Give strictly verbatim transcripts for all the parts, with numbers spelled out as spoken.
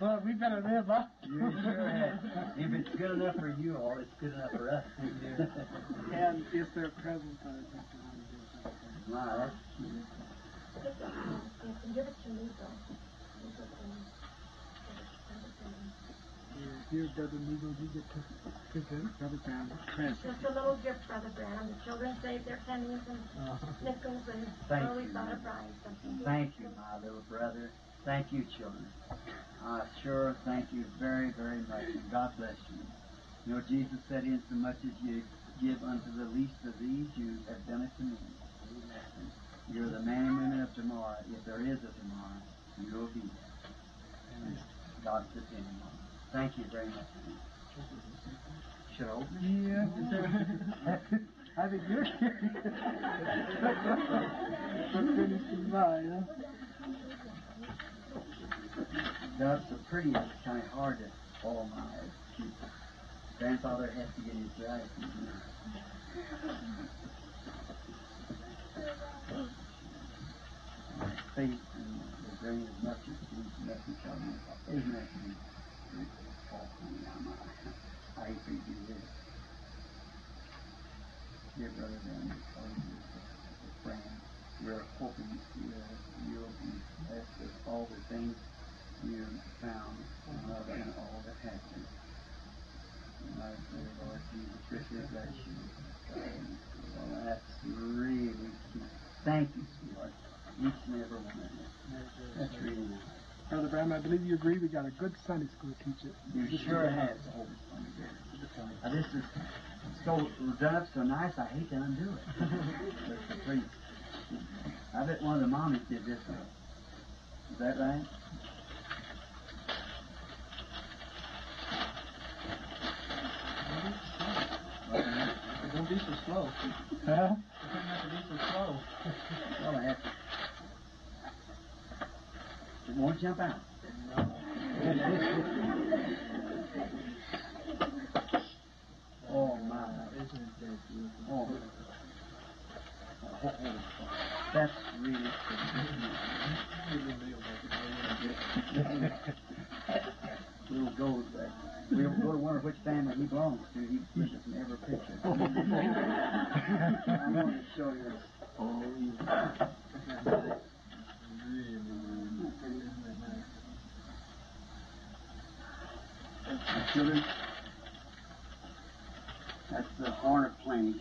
Well, we better live up. You sure have. If it's good enough for you all, it's good enough for us. And if they're present, I think they want to do something. My, that's cute. You can give it to me, though. You can give it to Brother Branham. Here, here, Brother Neagle, you get to present Brother Branham a present. Just a little gift, Brother Branham. The children saved their pennies and nickels, and Thank so we you. thought of buying something. Thank you, my little brother. Thank you, children. I sure thank you very, very much, and God bless you. You know, Jesus said, insomuch as you give unto the least of these, you have done it to me. Amen. You're the man and women of tomorrow. If there is a tomorrow, you'll be there. And God's depending on you. Thank you very much. Should I open it? Yeah. I think you're curious. But finish in mine, huh? That's so pretty, it's kind of hard to follow my eyes. Grandfather has to get his glasses. Faith and the grain of mustard seed, nothing shall be. Isn't that sweet? I hate for you to do this. Dear brother, then, friend, we're hoping you'll be blessed with all the things you found and love and all that happened. My dear Lord Jesus, richly bless you. Well, that's really cute. Thank you, sweetheart. Each and every one of you. That's really nice. Brother Branham, I believe you agree we got a good Sunday school teacher. You sure have. Now, this is so done up so nice, I hate to undo it. But it's pretty. I bet one of the mommies did this one. Is that right? Don't be so slow. Huh? You don't have to be so slow. Well, I have to. It won't jump out. No. Oh, my. Isn't that beautiful? Oh. Oh, that's really pretty. Little gold back. We'll go to wonder which family he belongs to. He pushes in every picture. I want to show you. Oh, yeah. Really, really pretty. Isn't that nice? My children, that's the horn of plenty.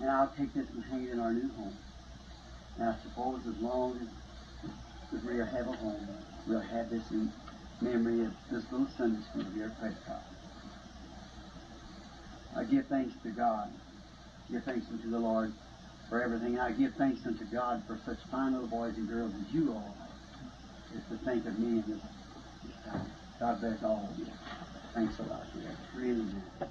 And I'll take this and hang it in our new home. And I suppose as long as we have a home, we'll have this in memory of this little Sunday school here at Prescott. I give thanks to God. Give thanks unto the Lord for everything. I give thanks unto God for such fine little boys and girls as you all are. Just to think of me in this, this time. God bless all of you. Thanks a lot. Yeah, really nice.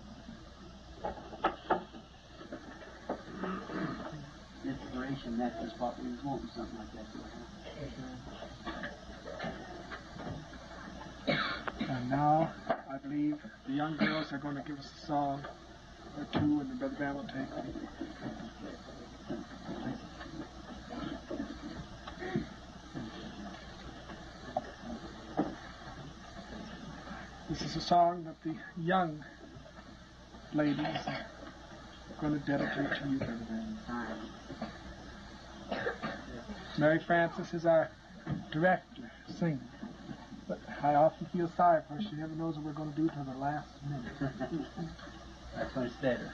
Inspiration, that's just what we was wanting, something like that to happen. And now, I believe the young girls are going to give us a song or two, and the Brother Branham will take them. This is a song that the young ladies are going to dedicate to you, Brother Branham. Mary Frances is our director, singer. But I often feel sorry for her. She never knows what we're going to do till the last minute. That's when it's better.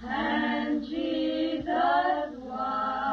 And Jesus was.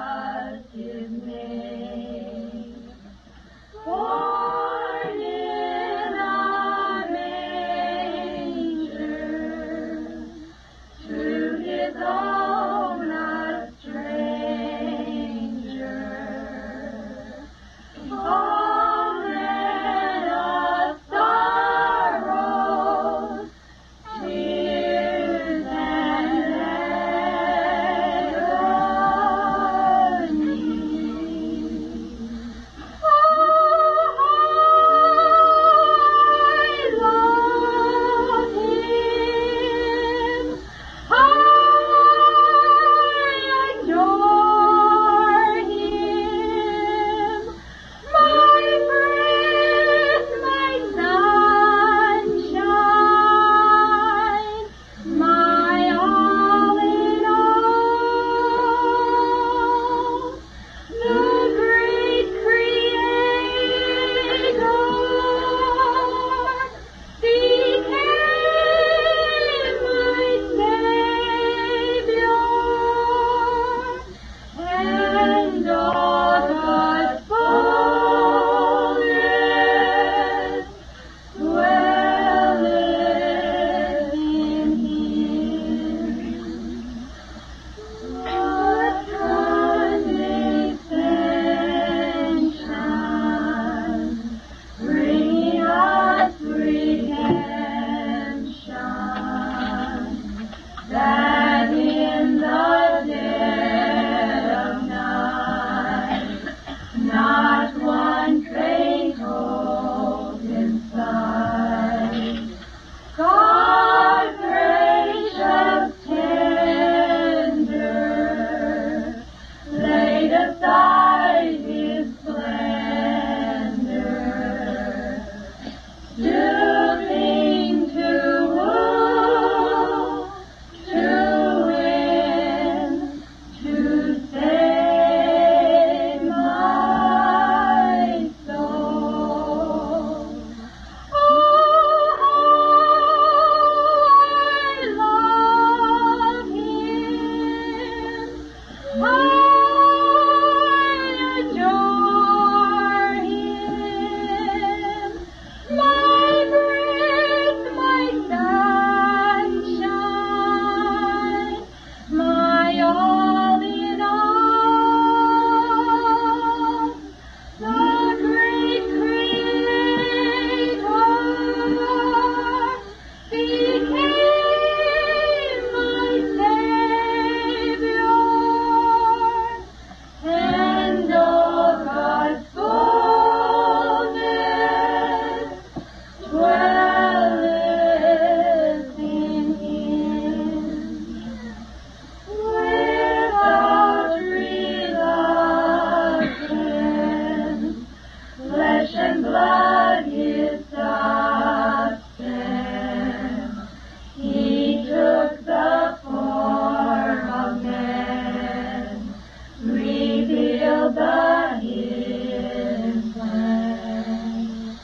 the hidden plan.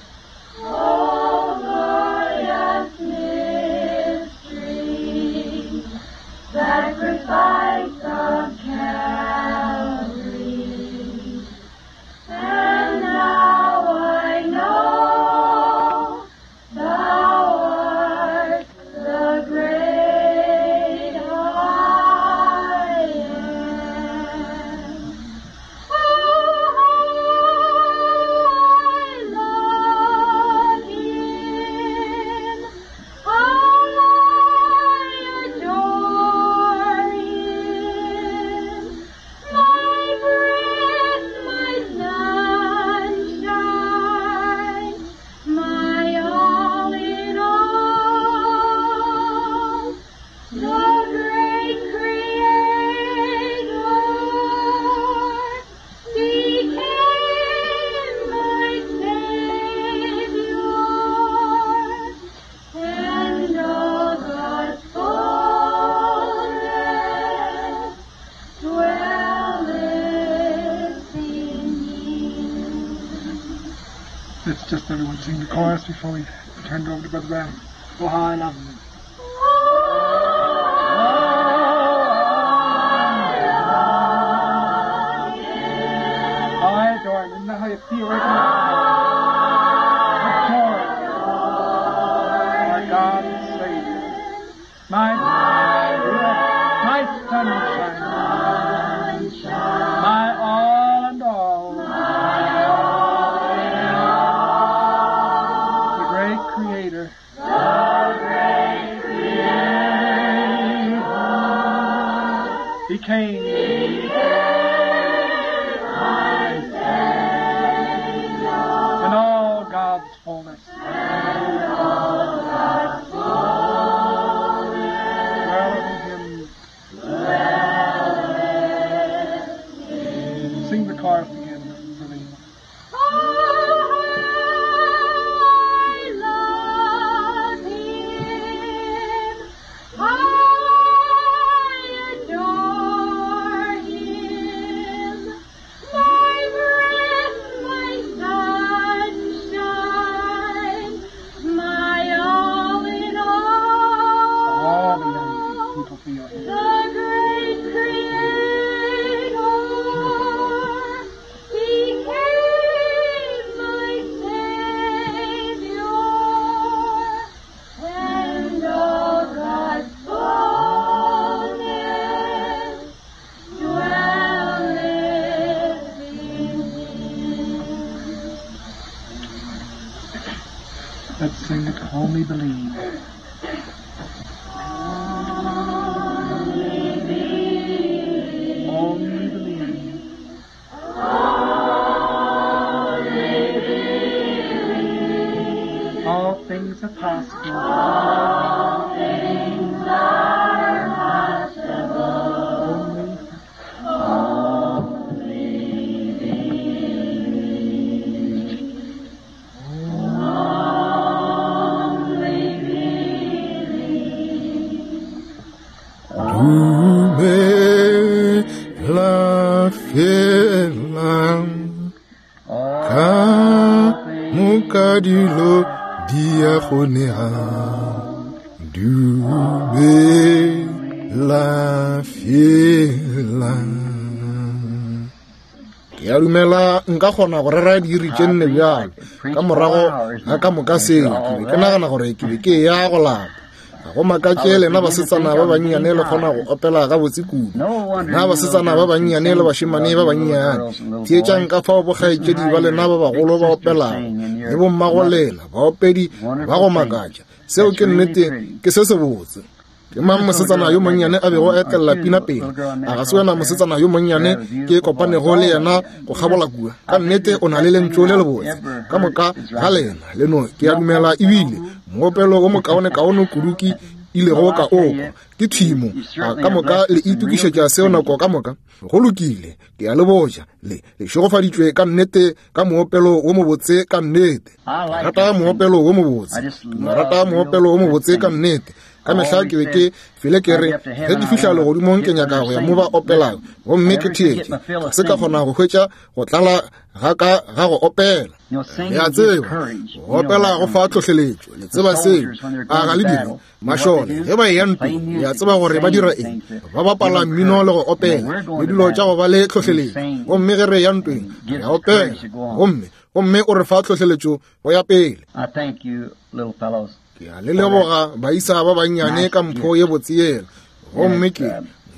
O glorious mystery, sacrifice of Calvary. And now I know thou art the great I am. Oh, how I love him. I adore him. My breath, my sunshine, my all in all. The great Creator became my Savior, and all God's fullness dwelleth in him. Let's just everyone sing the chorus before we turn it over to Brother Brown. Oh, how I love him. I adore him. Isn't that how you feel right now? Adore him. Our God and Savior. My, my sunshine. My all and all. The great Creator. The great Creator. Became. In all God's fullness. Dwelleth in him. Sing the chorus again, Celine. Oh, I love him. I adore him. My breath, my sunshine, my all in All the all. young people feel here. The great Creator became my Savior, and all God's fullness dwelleth in him. Let's sing it, Only Believe. Only believe. All things are possible. All things are possible. Only Dumela fela ka moka dilo di a kgonega. Dumela fela. Ke a dumela nka kgona go rera diiri tše nne bjalo ka morago ga ka moka seo ke be ke nagana gore ke be ke ya go lapa. Ga go makatše lena basetsana ba bannyane le kgona go opela gabotse kudu. Lena basetsana ba bannyane le bašemane ba bannyane, theetšang ka fao bokgaetšedi ba lena ba bagolo ba opelago le bommago lena baopedi ba go makatša. Seo ke nnete, ke se sebotse. Ke mang mosetsana yo monnyane a bego a etella pina pele? A ga se wena mosetsana yo monnyane ke kopanego le yena go kgabola kua? Ka nnete o na le lentšu le lebotse. Ka moka ga lena le no ke a dumela ebile moopelo wo mokaonekaone kudu ke ilego ka o kwa ke thimo. A ka moka le itokišetša seo nako ka moka? Go lokile, ke a le botša, le le šegofaditšwe ka nnete ka moopelo wo mobotse ka nnete. Ke rata moopelo wo mobotse. Ke no rata moopelo wo mobotse ka nnete. Ka mehla ke be ke fele ke re ge ke fihla legodimong ke nyaka go ya mo ba opelago, gomme ke theetše. Ga se ka kgona go hwetša go tlala ga ka ga go opela. Le a tseba, go opela go fa tlhohleletšo. Le tseba seo, a ga le dire? Mašole ge ba eya ntweng, le a tseba gore ba dira eng? Ba bapala mmino le go opela le dilo tša go ba le tlhohleletšo. Gomme ge re eya ntweng, re a opela, gomme gomme o re fa tlhohleletšo go ya pele. Ke a le leboga baisa ba bannyane ka mpho ye botse yela. Gomme ke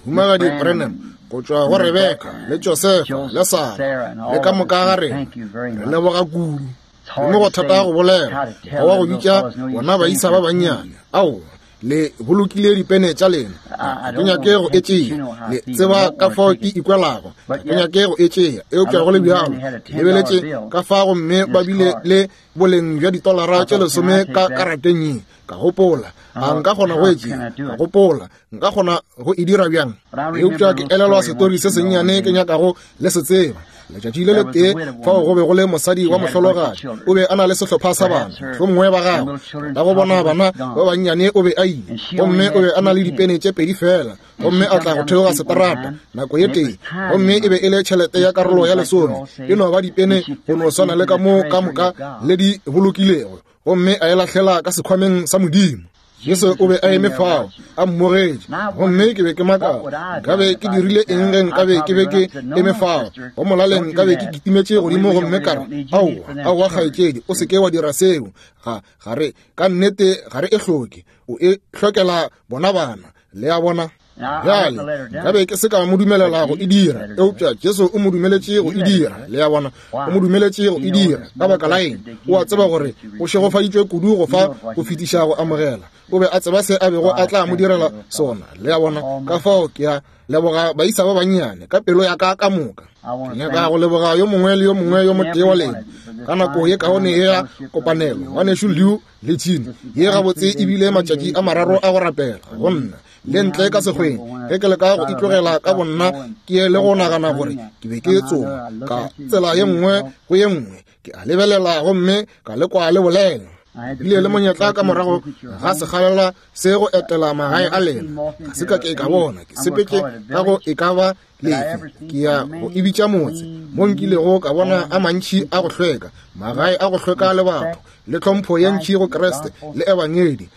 Mohumagadi Branham go tšwa go Rebeka le Josefa le Sara le ka moka ga rena, re leboga kudu. Gomme go thata go bolela go wa go bitša bona baisa ba bannyane. Aowa, le bolokile dipene tša lena. Ga ke nyake go e tšea. Le tseba ka fao ke ikwelago. Ga ke nyake go e tšea, eupša go le bjalo ke lebeletše ka fa gomme ba bile le boleng bja ditolara tše lesome ka karateng ye. Ka gopola, a nka kgona go e tšea? Ka gopola, nka kgona go e dira bjang? Eupša ke elelwa setori se sennyane ke nyakago le se tseba. Letšatši le letee fao go be go le mosadi wa mohlologadi, o be a na le sehlopha sa bana, mohlomongwe ba gagwe. Ka go bona bana ba bannyane o be a ile, gomme o be a na le dipene tše pedi fela, gomme a tla go theoga seterata nako ye tee, gomme e be e le tšhelete ya karolo ya lesome, e no ba dipene go no swana le ka mo ka moka le di bolokilego, gomme a e lahlela ka sekhwameng sa Modimo. Jesu o be a eme fao a mmogetše, gomme ke be ke makala nkabe ke dirile eng ge nkabe ke be ke eme fao. Go molaleng nkabe ke kitimetše godimo gomme ka re, aowa, aowa kgaetšedi, o se ke wa dira seo. Ga ga re ka nnete ga re e hloke, o e hlokela bona bana. Le a bona? Bjale nkabe ke se ka mo dumelela go e dira, eupša Jesu o mo dumeletše go e dira. Le a bona? O mo dumeletše go e dira. Ka baka la eng? O a tseba gore o šegofaditšwe kudu go fa go fetiša go amogela. O be a tseba se a bego a tla mo direla sona. Le a bona? Ka fao ke a leboga baisa ba bannyane ka pelo ya ka ka moka. Ke nyaka go leboga yo mongwe le yo mongwe yo motee wa lena ka nako ye kaone ye ya kopanelo. Ngwanešu Lew le Gene, ye gabotse ebile matšatši a mararo a go rapela go nna le ntle ka sekgweng ge ke leka go itlogela ka bonna ke ye le go nagana gore ke be ke tsoma ka tsela ye nngwe go ye nngwe. Ke a lebelela gomme ka lekwa le bolela. Bile le monyetla ka morago ga sekgalela se go etela magae a lena. Ga se ka ke ka bona, ke sepetše ka go e ka ba lefe, ke ya go e bitša motse mo nkilego ka bona a mantši a go hlweka, magae a go hlweka le batho, le tlhompho ye ntši go Kriste le ebangedi.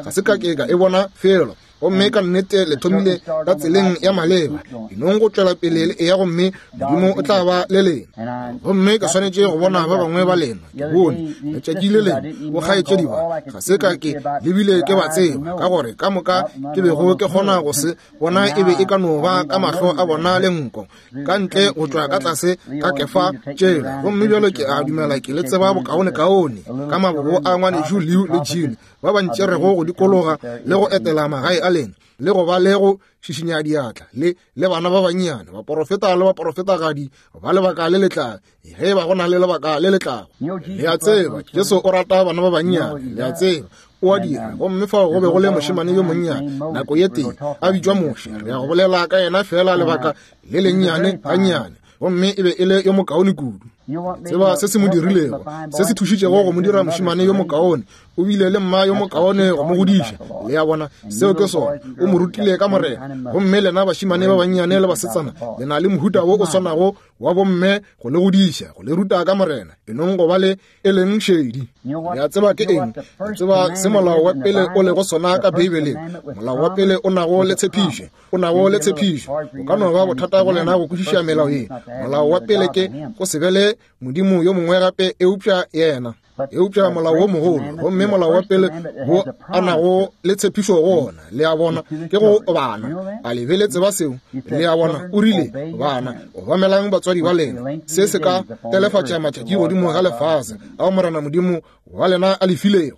Ga se ka ke ka e bona felo. Gomme ka nnete le thomile ka tseleng ya maleba, enong go tšwela pele le eya, gomme Modimo o tla ba le lena. Gomme ke swanetše go bona ba bangwe ba lena. Ke bone letšatši le lengwe bokgaetšedi ba, ga se ka ke lebile ke ba tseba, ka gore ka moka ke bego ke kgona go se bona e be e ka no ba ka mahlo a bona le nko ka ntle go tšwa ka tlase ka kefa tšela. Gomme bjalo ke a dumela ke le tseba bokaonekaone ka mabobo a ngwanešu Lew le Gene ba ba ntšerego go dikologa le go etela magae a lena le go ba le go šišinya diatla le le bana ba bannyane, baporofeta le baporofetagadi ba lebaka le letlago, ge ba go na le lebaka le letlago. Le a tseba Jesu o rata bana ba bannyane, le a tseba o a dira. Gomme fao go be go le mošemane yo monnyane nako ye tee a bitšwa Moshe. Re ya go bolela ka yena fela lebaka le lennyane gannyane, gomme e be e le yo mokaone kudu. Tseba se se mo dirilego, se se thušitšego go mo dira mošemane yo mokaone. O bile le mma yo mokaone go mo godiša. Le a bona? Seo ke sona. O mo rutile ka Morena. Gomme lena bašemane ba bannyane le basetsana, le na le mohuta wo o swanago wa bomme go le godiša, go le ruta ka Morena. Enong go ba le e leng šedi. Le a tseba ke eng? Le tseba se molao wa pele o lego sona ka Beibeleng? Molao wa pele o nago le tshepišo, o nago le tshepišo. O ka no ba bothata go lena go kwešiša melao ye. Molao wa pele ke go se be le modimo yo mongwe gape eupša yena. Eupša molao wo mogolo, gomme molao wa pele wo a nago le tshepišo go ona, le a bona, ke go bana. A le be le tseba seo? Le a bona, o rile, bana, obamelang batswadi ba lena. Se se ka telefatša matšatši godimo ga lefase ao Morena Modimo wa lena a le filego.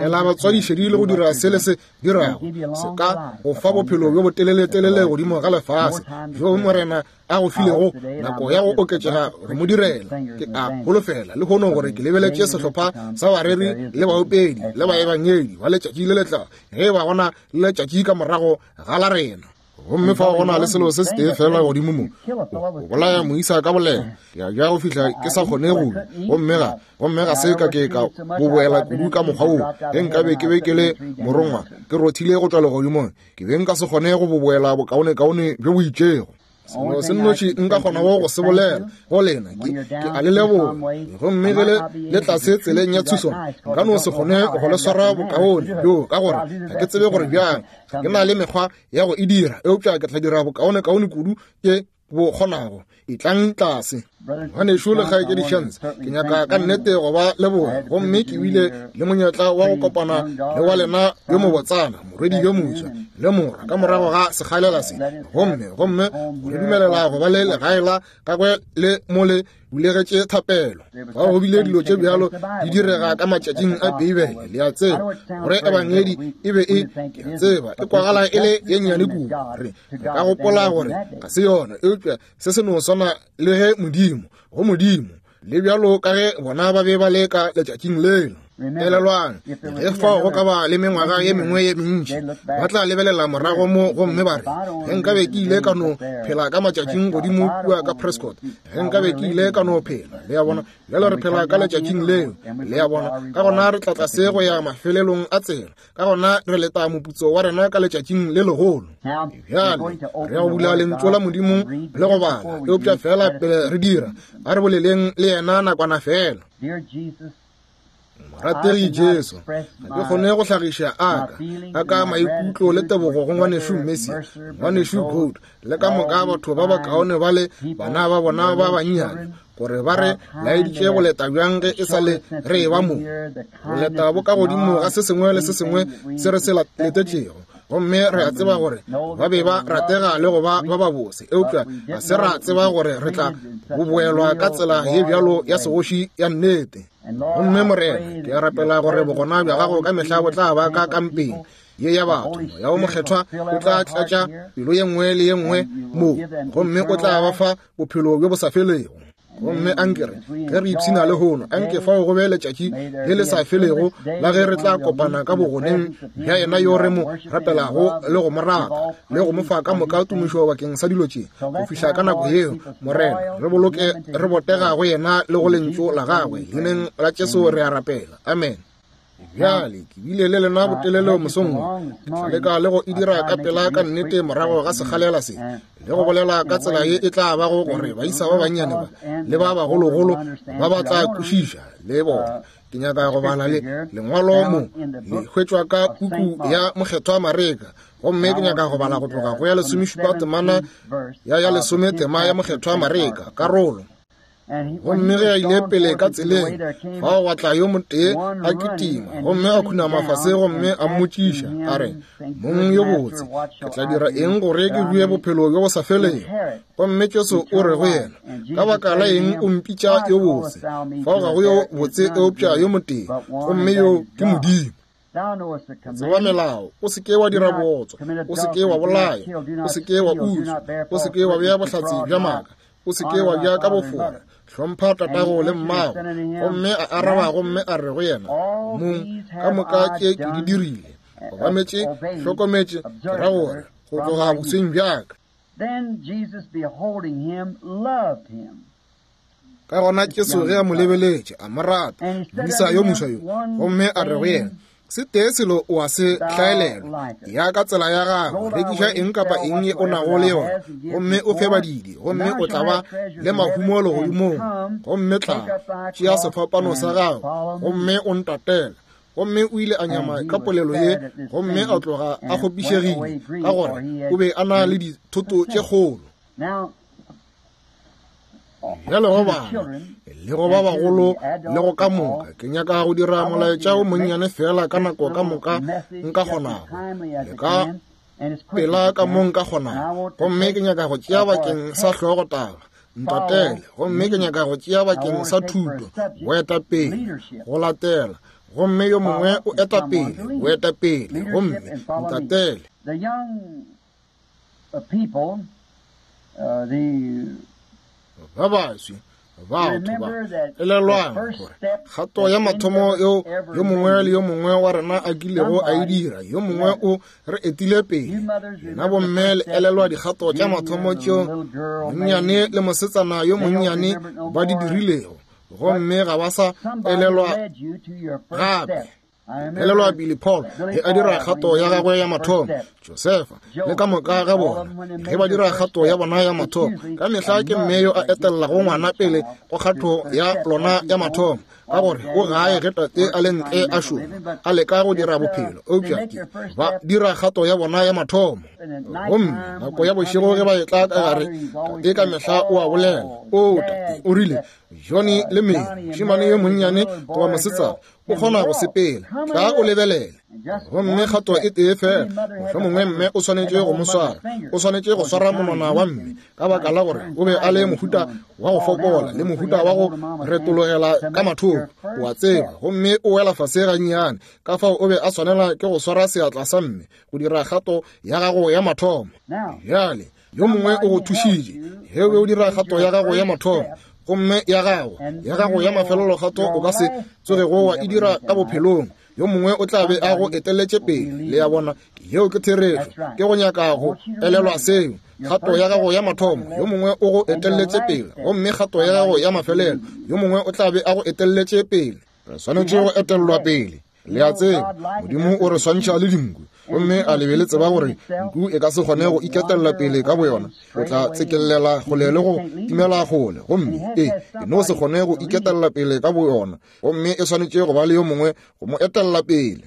Ela batswadi šedi le go dira se le se dirago, se ka go fa bophelo bjo boteleletelele godimo ga lefase bjo Morena a go filego nako ya go oketšega go mo direla. Ke a holofela le hono gore ke lebeletše sehlopha sa bareri le baopedi le baebangedi ba letšatši le letlago, ge ba gona le letšatši ka morago ga la rena. Gomme fao go na le selo se setee fela godimo mo, o bolaya moisa ka bolela. Ke a ja go fihla ke sa kgone go, gomme ga gomme ga se ka ke ka boboela kudu ka mokgwa woo. Ge nkabe ke be ke le morongwa ke rothile go tšwa legodimong, ke be nka se kgone go boboela bokaonekaone bjo bo itšego. Selo se nnoši nka kgonago go se bolela go lena ke ke a le leboga. Gomme ge le le tlase tseleng ya Tucson, nka no se kgone go le swara bokaone bjo, ka gore ga ke tsebe gore bjang. Ga ke na le mekgwa ya go e dira, eupša ke tla dira bokaonekaone kudu ke bo kgonago. Etlang tlase. Ngwanešu le kgaetšedi Shantz, ke nyaka ka nnete go ba leboga. Gomme ke bile le monyetla wa go kopana le wa lena yo mobotsana, morwedi yo moswa le morwa, ka morago ga sekgalela se. Gomme gomme go re dumelela go ba le legae la gagwe le mo le bulegetše thapelo. Fa go bile dilo tše bjalo di direga ka matšatšing a Beibele, le a tseba gore ebangedi e be e, ke a tseba, e kwagala e le ye nnyane kudu. Re ka gopola gore ga se yona, eupša se se no swana le ge Modimo, go Modimo, le bjalo ka ge bona ba be ba le ka letšatšing leno. Elelwang, ge fao go ka ba le mengwaga ye mengwe ye mentši, ba tla lebelela morago mo gomme ba re, ge nkabe ke ile ka no phela ka matšatšing godimo kua ka Prescott, ge nkabe ke ile ka no phela. Le a bona, bjale re phela ka letšatšing leo. Le a bona, ka gona re tla tlase go ya mafelelong a tsela, ka gona re leta moputso wa rena ka letšatšing le legolo. Bjale re ya go bula lentšu la Modimo le go bala, eupša fela pele re dira, a re boleleng le yena nakwana fela. Morategi Jesu, ga ke kgone go hlagiša aka a ka maikutlo le tebogo go ngwanešu Messi, ngwanešu Gold, le ka moka batho ba bakaone ba le bana ba bona ba bannyane, gore ba re laeditše go leta bjang ge e sa le re eba mo. Go leta bo ka godimo ga se sengwe le se sengwe se re se letetšego. Gomme re a tseba gore ba be ba ratega le go ba ba babose, eupša ga se ra tseba gore re tla boboelwa ka tsela ye bjalo ya segoši ya nnete. Gomme Morena, ke a rapela gore bogona bja gago ka mehla bo tla ba ka kampeng ye ya batho. Moya wo Mokgethwa o tla tlatša pelo ye nngwe le ye nngwe mo, gomme o tla ba fa bophelo bjo bo sa felego. Gomme anke re ge re ipshina lehono, anke fao go be letšatši le le sa felego la ge re tla kopana ka bogoneng bja yena yo re mo rapelago le go mo rata le go mo fa ka moka tumišo bakeng sa dilo tše. Go fihla ka nako yeo, Morena, re boloke re botega go yena le go lentšu la gagwe. Leineng la Jesu re a rapela, amen. Bjale ke bile le lena botelele mosong wo, ke tla leka le go e dira ka pela ka nnete morago ga sekgalela se, le go bolela ka tsela ye e tla bago gore baisa ba bannyane ba le ba bagologolo ba ba tla kwešiša le bona. Ke nyaka go bala le lengwalo mo le hwetšwa ka puku ya Mokgethwa Mareka, gomme ke nyaka go bala go tloga go ya lesomešupa temana ya ya lesome tema ya Mokgethwa Mareka karolo. Gomme ge a ile pele ka tseleng, fao gwa tla yo motee a kitima, gomme a khunama fase gomme a mmotšiša a re, Mong yo botse, ke tla dira eng gore ke rue bophelo bjo bo sa felego? Gomme Jesu o re go yena, ka baka la eng o mpitša yo botse? Fao ga go yo botse eupša yo motee, gomme yo ke Modimo. Tseba melao, o se ke wa dira bootswa, o se ke wa bolaya, o se ke wa utswa, o se ke wa bea bohlatse bja maaka, o se ke wa ja ka bofora, hlompha tatago le mmago. Gomme a araba gomme a re go yena, Mong, ka moka tše ke di dirile, obametše, hlokometše, ke ra gore go tloga bosweng bjaka. Ka gona Jesu ge a mo lebeletše, a mo rata, moisa yo moswa yo, gomme a re go yena, se tee selo o a se hlaelelwa, ya ka tsela ya gago, rekiša eng kapa eng ye o nago le yona, gomme o fe badidi, gomme o tla ba le mahumo legodimong. Gomme tla tšea sefapano sa gago gomme o ntatele. Gomme o ile a nyama ka polelo ye, gomme a tloga a kgopišegile, ka gore o be a na le dithoto tše kgolo. Bjale go bana le go ba bagolo le go ka moka, ke nyaka go dira molaetša o monnyane fela ka nako ka moka nka kgonago, le ka pela ka mo nka kgonago. Gomme ke nyaka go tšea bakeng sa hlogotaba, ntatele. Gomme ke nyaka go tšea bakeng sa thuto, boetapele, go latela. Gomme yo mongwe o eta pele, boetapele, gomme ntatele. Ba baswi, Batho ba elelwang gore kgato ya mathomo yeo yo mongwe le yo mongwe wa rena a kilego a e dira, yo mongwe o re etile pele. Lena bomme le elelwa dikgato tša mathomo tšeo monnyane le mosetsana yo monnyane ba di dirilego, gomme ga ba sa elelwa gape. Elelwa Billy Paul ge a dira kgato ya gagwe ya mathomo, Josefa le ka moka ga bona ge ba dira kgato ya bona ya mathomo. Ka mehla ke mme yo a etellago ngwana pele go kgato ya lona ya mathomo, ka gore o gae ge tate a le ntle a šoma a leka go dira bophelo, eupša ke ba dira kgato ya bona ya mathomo. Gomme nako ya bošego ge ba etla ka gare, tate ka mehla o a bolela, o tate o rile Johnny le Mary, mošemane yo monnyane goba mosetsana, o kgona go sepela, tla o lebelele. Gomme kgato e tee fela, mohlomongwe mme o swanetše go mo swara, o swanetše go swara monwana wa mme, ka baka la gore o be a le mohuta wa go fokola le mohuta wa go retologela ka mathoko, o a tseba, gomme o wela fase gannyane. Ka fao o be a swanela ke go swara seatla sa mme go dira kgato ya gago ya mathomo. Bjale yo mongwe o go thušitše ge o be o dira kgato ya gago ya mathomo, gomme ya gago ya gago ya mafelelo kgato o ka se tsogego wa e dira ka bophelong, yo mongwe o tla be a go eteletše pele. Le ya bona, yeo ke therešo. Ke go nyaka go elelwa seo. Kgato ya gago ya mathomo, yo mongwe o go eteletše pele, gomme kgato ya gago ya mafelelo, yo mongwe o tla be a go eteletše pele. Re swanetše go etellwa pele. Le a tseba, Modimo o re swantšha le dinku, gomme a le be le tseba gore nku e ka se kgone go iketella pele ka boyona, o tla tsekelela kgole le go timela kgole, gomme e e no se kgone go iketella pele ka boyona, gomme e swanetše go ba le yo mongwe go mo etella pele.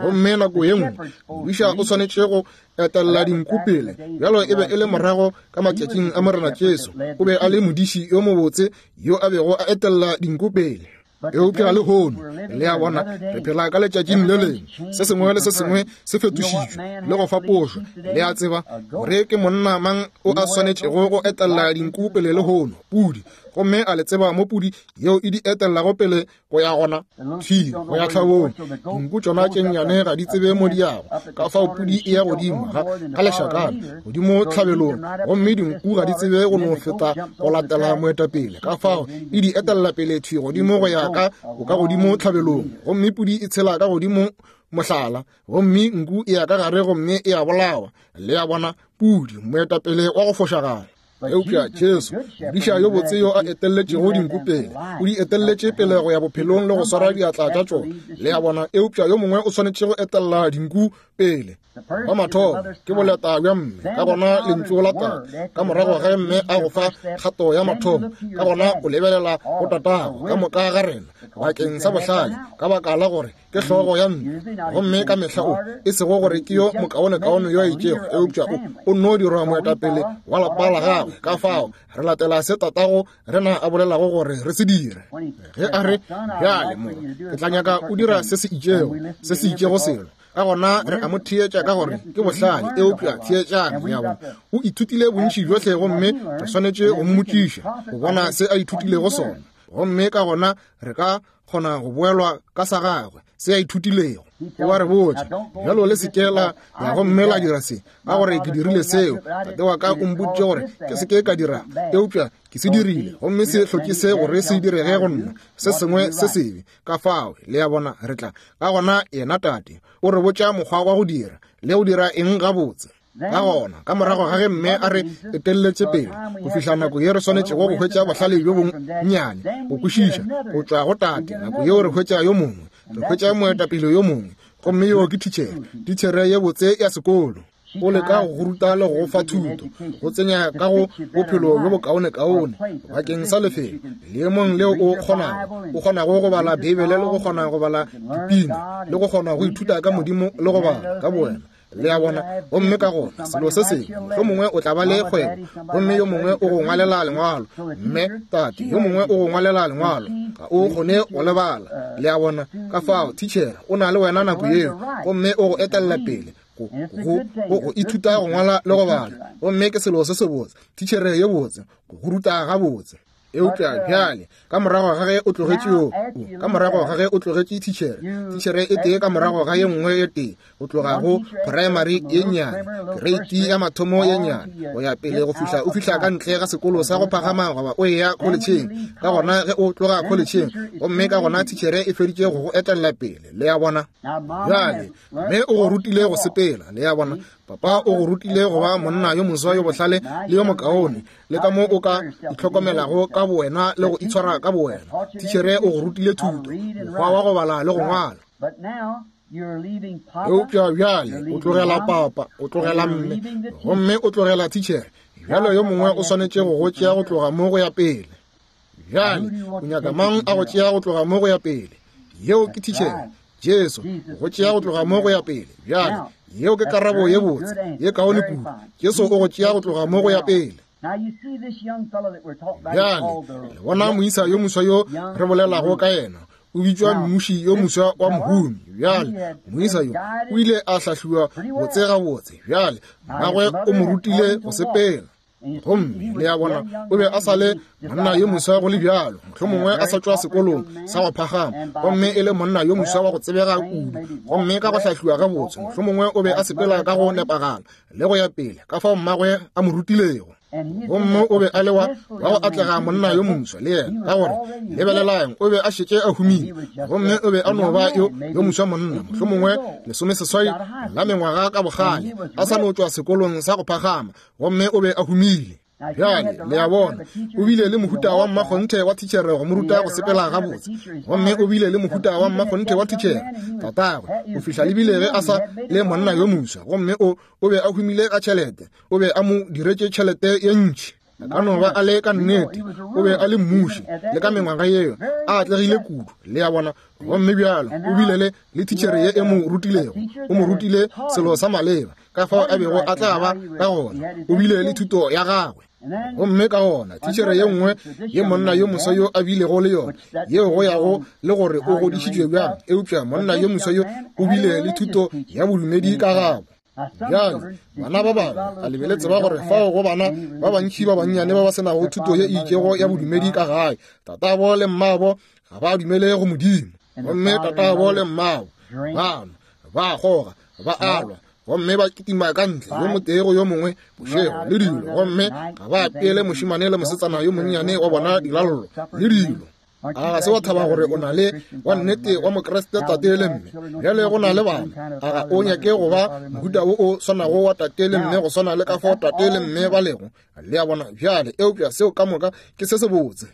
Gomme nako ye nngwe modiša o swanetše go etella dinku pele. Bjalo e be e le morago ka matšatšing a Morena Jesu, o be a le modiši yo mobotse yo a bego a etella dinku pele. Eupša lehono, le a bona, re phela ka letšatšing le lengwe, se sengwe le se sengwe se fetošitšwe le go fapošwa. Le a tseba gore ke monna mang o a swanetšego go etella dinku pele lehono? Pudi. Gomme a le tseba mo pudi yeo e di etellago pele go ya gona thwi go ya tlhabong. Dinku tšona tše nnyane ga di tsebe mo di yago, ka fao pudi e ya godimo ga ga lešakana godimo tlhabelong, gomme dinku ga di tsebe go no feta go latela moetapele, ka fao e di etella pele thwi godimo go ya ka o ka godimo tlhabelong. Gomme pudi e tshela ka godimo mohlala, gomme nku e ya ka gare gomme e a bolawa. Le a bona, pudi moetapele wa go fošagala. Eupša Jesu, modiša yo botse yo a etelletšego dinku pele, o di etelletše pele go ya bophelong le go swara diatla tša tšona. Le a bona, eupša yo mongwe o swanetše go etella dinku pele. Wa mathomo ke boleta bja mme, ka gona lentšu la tate, ka morago ge mme a go fa kgato ya mathomo, ka gona o lebelela go tatago ka moka ga rena bakeng sa bohlale, ka baka la gore ke hlogo ya ntlo. Gomme ka mehla o e sego gore ke yo mokaonekaone yo a itšego, eupša o o nno dirwa moetapele wa lapa la gagwe. Ka fao re latela se tatago rena a bolelago gore re se dire. Ge a re, bjale morwa, ke tla nyaka o dira se se itšego, se se itšego selo, ka gona re a mo theetša ka gore ke bohlale. Eupša theetšang, le a bona, o ithutile bontši bjohle, gomme re swanetše go mmotšiša go bona se a ithutilego sona, gomme ka gona re ka kgona go boelwa ka sa gagwe se a ithutilego. O a re botša, bjalo le se ke la ya gomme la dira se, ka gore ke dirile seo. Tate wa ka o mpoditše gore ke se ke ka dira, eupša ke se dirile, gomme se hloke se gore se direge go nna se sengwe se sebe. Ka fao, le a bona, re tla ka gona yena tate o re botša mokgwa wa go dira le go dira eng gabotse. Ka gona ka morago ga ge mme a re etelletše pele go fihla nako ye re swanetšego go hwetša bohlale bjo bonnyane go kwešiša go tšwa go tate, nako yeo re hwetša yo mongwe, re hwetša moetapele yo mongwe, gomme yo ke thitšhere, thitšhere ye botse ya sekolo. O leka go ruta le go fa thuto, go tsenya ka go bophelo bjo bokaonekaone bakeng sa lefelo leemong leo o kgonago, o kgonago go bala Beibele le go kgona go bala dipina le go kgona go ithuta ka Modimo le go bala ka bowena. Le a bona, gomme ka gona selo se sengwe, mohlomongwe o tla ba le kgwebo, gomme yo mongwe o go ngwalela lengwalo, mme tate yo mongwe o go ngwalela lengwalo, ga o kgone go lebala. Le a bona, ka fao thitšhere o na le wena nako yeo, gomme o go etella pele go go go ithuta go ngwala le go bala, gomme ke selo se sebotse, thitšhere ye botse go go ruta gabotse. Eupša bjale ka morago ga ge o tlogetše yo, ka morago ga ge o tlogetše thitšhere, thitšhere e tee ka morago ga ye nngwe e tee, go tloga go primary ye nnyane, kereiti ya mathomo ye nnyane, go ya pele go fihla o fihla ka ntle ga sekolo sa go phagama goba o eya kholetšheng. Ka gona ge o tloga kholetšheng, gomme ka gona thitšhere e feditše go go etella pele, le a bona. Bjale mme o go rutile go sepela, le a bona. Papa o go rutile go ba monna yo moswa yo bohlale le yo mokaone, le ka mo o ka itlhokomelago ka bowena le go itshwara ka bowena. Thitšhere o go rutile thuto, mokgwa wa go bala le go ngwala. Eupša bjale o tlogela papa, o tlogela mme, gomme o tlogela thitšhere. Bjale yo mongwe o swanetše go go tšea go tloga mo go ya pele. Bjale o nyaka mang a go tšea go tloga mo go ya pele? Yeo ke thitšhere, Jesu, go tšea go tloga mo go ya pele. Bjale yeo ke karabo ye botse, ye kaone kudu. Jesu o go tšea go tloga mo go ya pele. Bjale le bona moisa yo moswa yo re bolelago ka yena, o bitšwa mmuši yo moswa wa mohumi. Bjale moisa yo o ile a hlahliwa botse gabotse. Bjale mmagwe o mo rutile go sepela, gomme le a bona o be a sa le monna yo moswa go le bjalo, mohlomongwe a sa tšwa sekolong sa go phagama, gomme e le monna yo moswa wa go tsebega kudu, gomme ka go hlahliwa gabotse, mohlomongwe o be a sepela ka go nepagala le go ya pele ka fao mmagwe a mo rutilego. Gomme o be a le wa wa go atlega monna yo moswa le yena, ka gore lebelelang, o be a šetše a humile, gomme o be a no ba yo yo moswa monna, mohlomongwe lesomeseswai la mengwaga ka bogale, a sa no tšwa sekolong sa go phagama, gomme o be a humile. Bjale le a bona, o bile le mohuta wa mmakgonthe wa thitšhere go mo ruta go sepela gabotse, gomme o bile le mohuta wa mmakgonthe wa thitšhere tatagwe go fihla le bile ge a sa le monna yo moswa, gomme o o be a humile ka tšhelete, o be a mo diretše tšhelete ye ntši. A ka no ba a le ka nnete, o be a le mmuši le ka mengwaga yeo, a atlegile kudu, le a bona. Gomme bjalo o bile le le thitšhere ye e mo rutilego, o mo rutile selo sa maleba ka fao a bego a tla ba ka gona, o bile le thuto ya gagwe. Gomme ka gona thitšhere ye nngwe ye monna yo moswa yo a bilego le yona, yeo go yago le gore o godišitšwe bjang, eupša monna yo moswa yo o bile le thuto ya bodumedi ka gabo. Bjale bana ba bangwe a le be le tseba gore fao go bana ba bantši ba bannyane ba ba senago thuto ye e itšego ya bodumedi ka gae, tatabo le mmabo ga ba dumele go Modimo, gomme tatabo le mmabo ba nwa, ba kgoga, ba alwa, gomme ba kitima ka ntle yo motee go yo mongwe bošego le dilo, gomme ga ba apeele mošemane le mosetsana yo monnyane wa bona dilallo le dilo. A ga se wa thaba gore o na le wa nnete wa Mokriste tate le mme? Bjale go na le bana, a ga o nyake go ba mohuta wo o swanago wa tate le mme go swana le ka fao tate le mme ba lego? Le a bona? Bjale eupša seo ka moka ke se sebotse.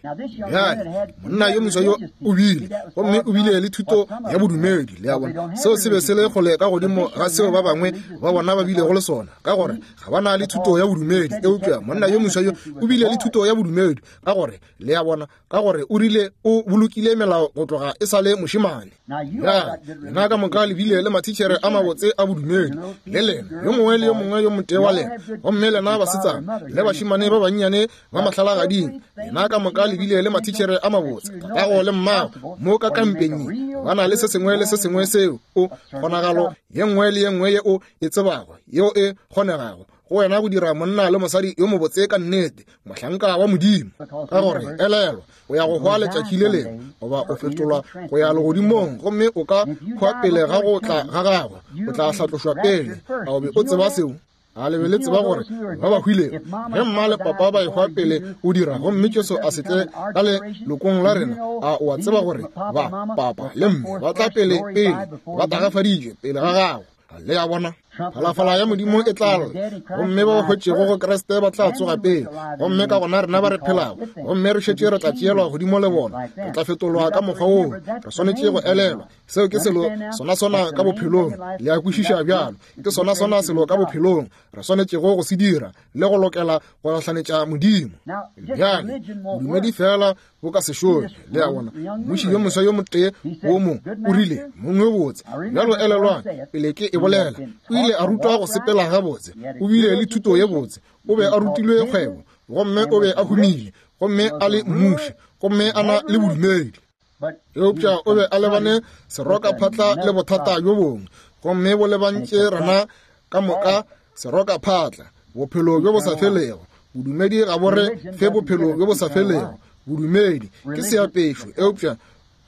Bjale monna yo moswa yo o bile, gomme o bile le thuto ya bodumedi, le a bona. Seo se be se le kgole ka godimo ga seo ba bangwe ba bona ba bilego le sona, ka gore ga ba na le thuto ya bodumedi. Eupša monna yo moswa yo o bile le thuto ya bodumedi, ka gore le a bona, ka gore o rile o bolokile melao go tloga e sa le mošemane. Bjale lena ka moka le bile le mathitšhere a mabotse a bodumedi, le lena yo mongwe le yo mongwe yo motee wa lena, gomme lena basetsana le bašemane ba bannyane ba mahlalagading, lena ka moka le bile le mathitšhere a mabotse, tatago le mmago mo ka kampeng ba na le se sengwe le se sengwe seo o kgonagalo ye nngwe le ye nngwe ye o e tsebago yeo e kgonegago go wena go dira monna le mosadi yo mobotse ka nnete, mohlanka wa Modimo. Ka gore elelwa, o ya go hwa letšatši le lengwe, goba o fetolwa go ya legodimong, gomme o ka hwa pele ga go tla ga gagwe, o tla hlatlošwa pele. A o be o tseba seo? A le be le tseba gore ba ba hwilego ge mma le papa ba ehwa pele o dira, gomme Jesu a se tle ka lelokong la rena, a o a tseba gore ba papa le mme ba tla pele pele ba tagafaditšwe pele ga gagwe? Le a bona, phalafala ya Modimo e tla lla, gomme ba ba hwetšego go Kriste ba tla tsoga pele, gomme ka gona rena ba re phelago gomme re šetše re tla tšeelwa godimo le bona, re tla fetolwa ka mokgwa woo. Re swanetše go elelwa seo ke selo sona sona ka bophelong. Le a kwešiša bjalo? Ke sona sona selo ka bophelong re swanetšego go se dira le go lokela go gahlanetša Modimo. Bjale bodumedi fela bo ka se šome, le a bona. Mmuši yo moswa yo motee wo mo o rile, mongwe botse. Bjalo elelwang, pele ke e bolela, o ile a rutwa go sepela gabotse, o bile le thuto ye botse, o be a rutilwe kgwebo, gomme o be a humile, gomme a le mmuši, gomme a na le bodumedi. Eupša o be a lebane seroka phatla le bothata bjo bongwe, gomme bo lebantše rena ka moka seroka phatla, bophelo bjo bo sa felego. Bodumedi ga bo re fe bophelo bjo bo sa felego. Bodumedi ke seapešo, eupša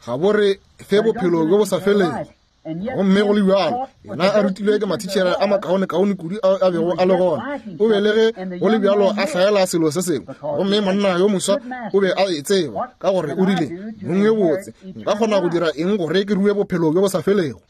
ga bo re fe bophelo bjo bo sa felego. Gomme go le bjalo, yena a rutilwe ke mathitšhere a makaonekaone kudu a a bego a le gona. O be le ge go le bjalo a hlaela selo se sengwe. Gomme monna yo moswa o be a e tseba, ka gore o rile, Mong yo botse, nka kgona go dira eng gore ke rue bophelo bjo bo sa felego?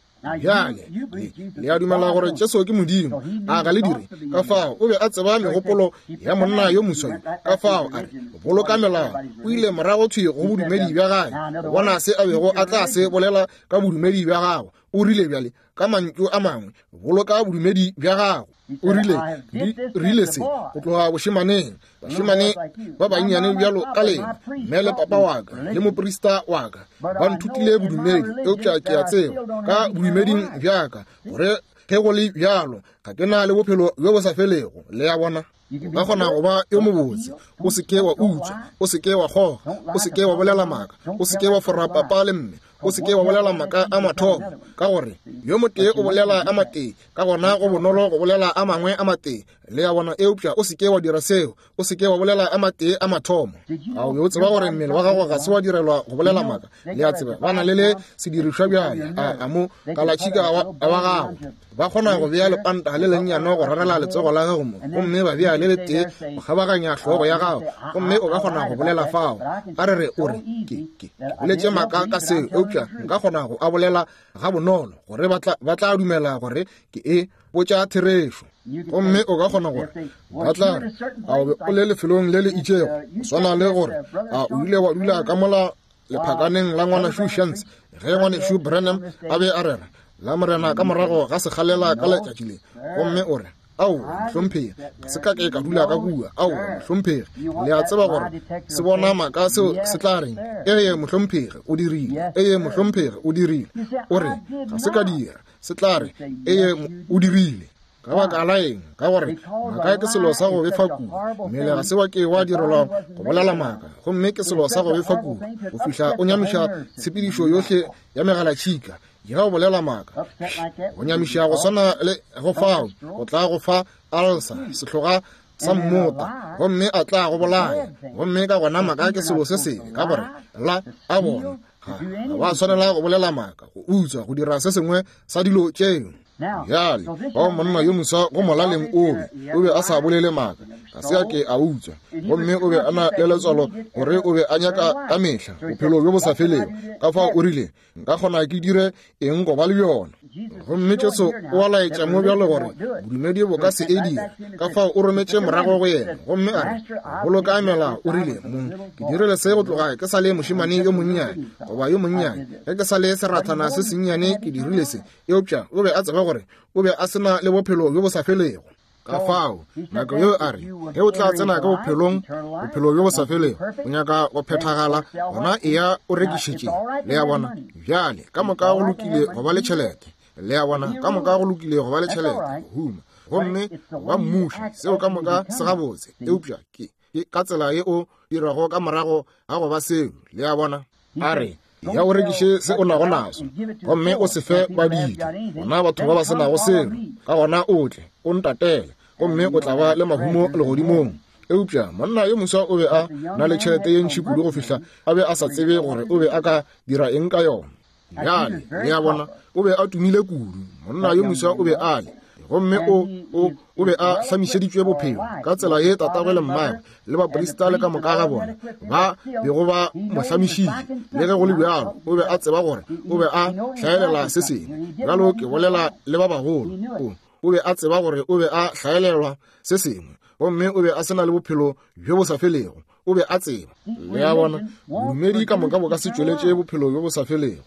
Bjale, le, le a dumela gore Jesu ke Modimo, a ga le dire? Ka fao o be a tseba megopolo ya monna yo moswa yo. Ka fao a re, boloka melao. O ile morago thwi go bodumedi bja gae, go bona se a bego a tla se bolela ka bodumedi bja gagwe. O rile bjale, ka mantšu a mangwe, boloka bodumedi bja gago. O rile, di rile se go tloga bošemaneng, bašemane ba bannyane bjalo ka lena, mme le papa wa ka le moprista wa ka ba nthutile bodumedi, eupša ke a tseba ka bodumeding bja ka gore ge go le bjalo ga ke na le bophelo bjo bo sa felego. Le a bona? O ka kgona go ba yo mobotse, o se ke wa utswa, o se ke wa kgoga, o se ke wa bolela maaka, o se ke wa fora papa le mme, o se ke wa bolela maaka a mathomo, ka gore yo motee o bolela a matee, ka gona go bonolo go bolela a mangwe a matee. Le a bona? Eupša o se ke wa dira seo, o se ke wa bolela a matee a mathomo. A o be o tseba gore mmele wa gago ga se wa direlwa go bolela maaka? Le a tseba, ba na le le sedirišwa bjale, a, a mo kalatšhika wa, wa gago. Ba kgona go bea lepanta le lennyane go rarela letsogo la gago mo, gomme ba bea le letee go kgabaganya hlogo ya gago, gomme o ka kgona go bolela fao. A re re o re, ke, ke, ke boletše maaka ka seo, eupša nka kgona go a bolela ga bonolo gore ba tla, ba tla dumela gore ke e botša therešo. Gomme o ka kgona gore ba tla re, a o be o le lefelong le le itšego, go swana le gore a o ile wa dula ka mola lephakaneng la ngwanešu Shantz ge ngwanešu Branham a be a rera la Morena ka morago ga sekgalela ka letšatši le, gomme o re, aowa mohlomphegi, ga se ka ke ka dula ka kua. Aowa mohlomphegi, le a tseba gore se bona maaka seo se tla reng? Ee mohlomphegi, o dirile. Ee mohlomphegi, o dirile. O re, ga se ka dira. Se tla re, ee o dirile. Ka baka la eng? Ka gore maaka ke selo sa go befa kudu. Mmele ga se wa ke wa direlwa go bolela maaka, gomme ke selo sa go befa kudu go fihla o nyamiša tshepedišo yohle ya megalatšhika. Ya go bolela maaka, go nyamiša go swana le go fao, go tla go fa alsa, sehloga sa mmota, gomme a tla go bolaya. Gomme ka gona maaka ke selo se sebe, ka gore la a bona ga ba tshwanela go bolela maaka, go utswa, go dira se sengwe sa dilo tšeo. Bjale, bao monna yo moswa go molaleng o be, o be a sa bolele maaka, ga se a ke a utswa, gomme o be a na le letswalo gore o be a nyaka ka mehla bophelo bjo bo sa felego. Ka fao o rile, nka kgona ke dire eng go ba le bjona? Gomme Jesu o a laetša mo bjalo gore bodumedi bo ka se e dire. Ka fao o rometše morago go yena, gomme a re, boloka melao. O rile, mong, ke dirile se go tloga ke sa le mošemane yo monnyane, goba yo monnyane, ge ke sa le serathana se sennyane ke dirile se. Eupša o be a tseba gore o be a se na le bophelo bjo bo sa felego. Ka fao nako yeo a re, ge o tla tsena ka bophelong, bophelo bjo bo sa felego, o nyaka go phethagala, gona eya o rekišetše. Le a bona? Bjale ka moka go lokile go ba le tšhelete. Le a bona? Ka moka go lokile go ba le tšhelete, go huma, gomme go ba mmuši, seo ka moka se gabotse. Eupša ke, ke ka tsela ye o dirago ka morago ga go ba seo. Le a bona? A re, ya o rekiše se o nago naso, gomme o se fe badiidi, gona batho ba ba se nago selo. Ka gona o tle o ntatele, gomme o tla ba le mahumo legodimong. Eupša monna yo moswa o be a na le tšhelete ye ntši kudu go fihla a be a sa tsebe gore o be a ka dira eng ka yona. Bjale, le a bona, o be a tumile kudu. Monna yo moswa o be a le, gomme o, o, o be a hlamišeditšwe bophelo ka tsela ye tatagwe le mmagwe le baprista le ka moka ga bona ba bego ba mo hlamišitše. Le ge go le bjalo, o be a tseba gore o be a hlaelela se sengwe. Bjalo ke bolela le ba bagolo. O, o be a tseba gore o be a hlaelelwa se sengwe, gomme o be a se na le bophelo bjo bo sa felego. O be a tseba. Le a bona, bodumedi ka moka bo ka se tšweletše bophelo bjo bo sa felego.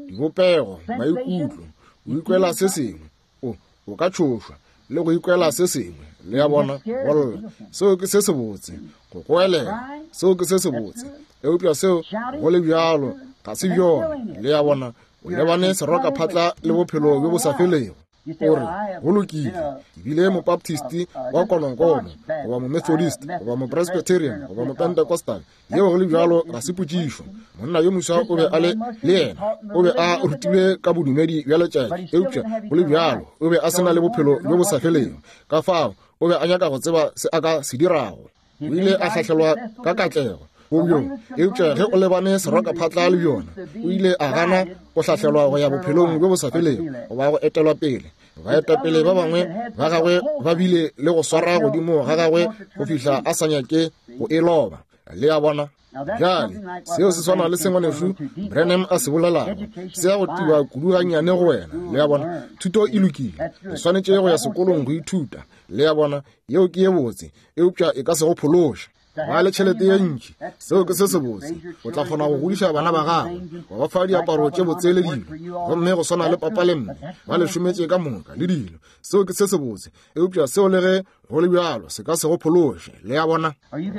Dibopego, maikutlo, o ikwela se sengwe, o, o ka tšhošwa le go ikwela se sengwe. Le a bona, go lla, seo ke se sebotse, go goelela, seo ke se sebotse, eupša seo go le bjalo ga se bjona. Le a bona, o lebane serokaphatla le bophelo bjo bo sa felego. O re, go lokile, ke bile mobaptist wa konokono, goba momethodist, goba mopresbyterian, goba mopentecostal. Yeo go le bjalo ga se potšišo. Monna yo moswa o be a le le yena, o be a rutilwe ka bodumedi bja letšatši, eupša go le bjalo o be a se na le bophelo bjo bo sa felego. Ka fao o be a nyaka go tseba se a ka se dirago. O ile a hlahlelwa ka katlego, go bjo. Eupša ge o lebane serokaphatla le bjona, o ile a gana go hlahlelwa go ya bophelong bjo bo sa felego goba go etelwa pele. Baetapele ba bangwe ba gagwe ba bile le go swara godimo ga gagwe go fihla a sa nyake go e loba. Le a bona? Bjale seo se swana le sengwanešu Branham a se bolelago, se ya go tiba kudu gannyane go wena. Le a bona? Thuto e lokile, o swanetše go ya sekolong go ithuta. Le a bona? Yeo ke ye botse, eupša e ka se go phološe. Ba le tšhelete ye ntši, seo ke se sebotse. O tla kgona go godiša bana ba gago, wa ba fa diaparo tše botse le dilo, gomme go swana le papa le mme ba le šometše ka moka le dilo. Seo ke se sebotse, eupša seo le ge go le bjalo se ka se go phološe. Le a bona?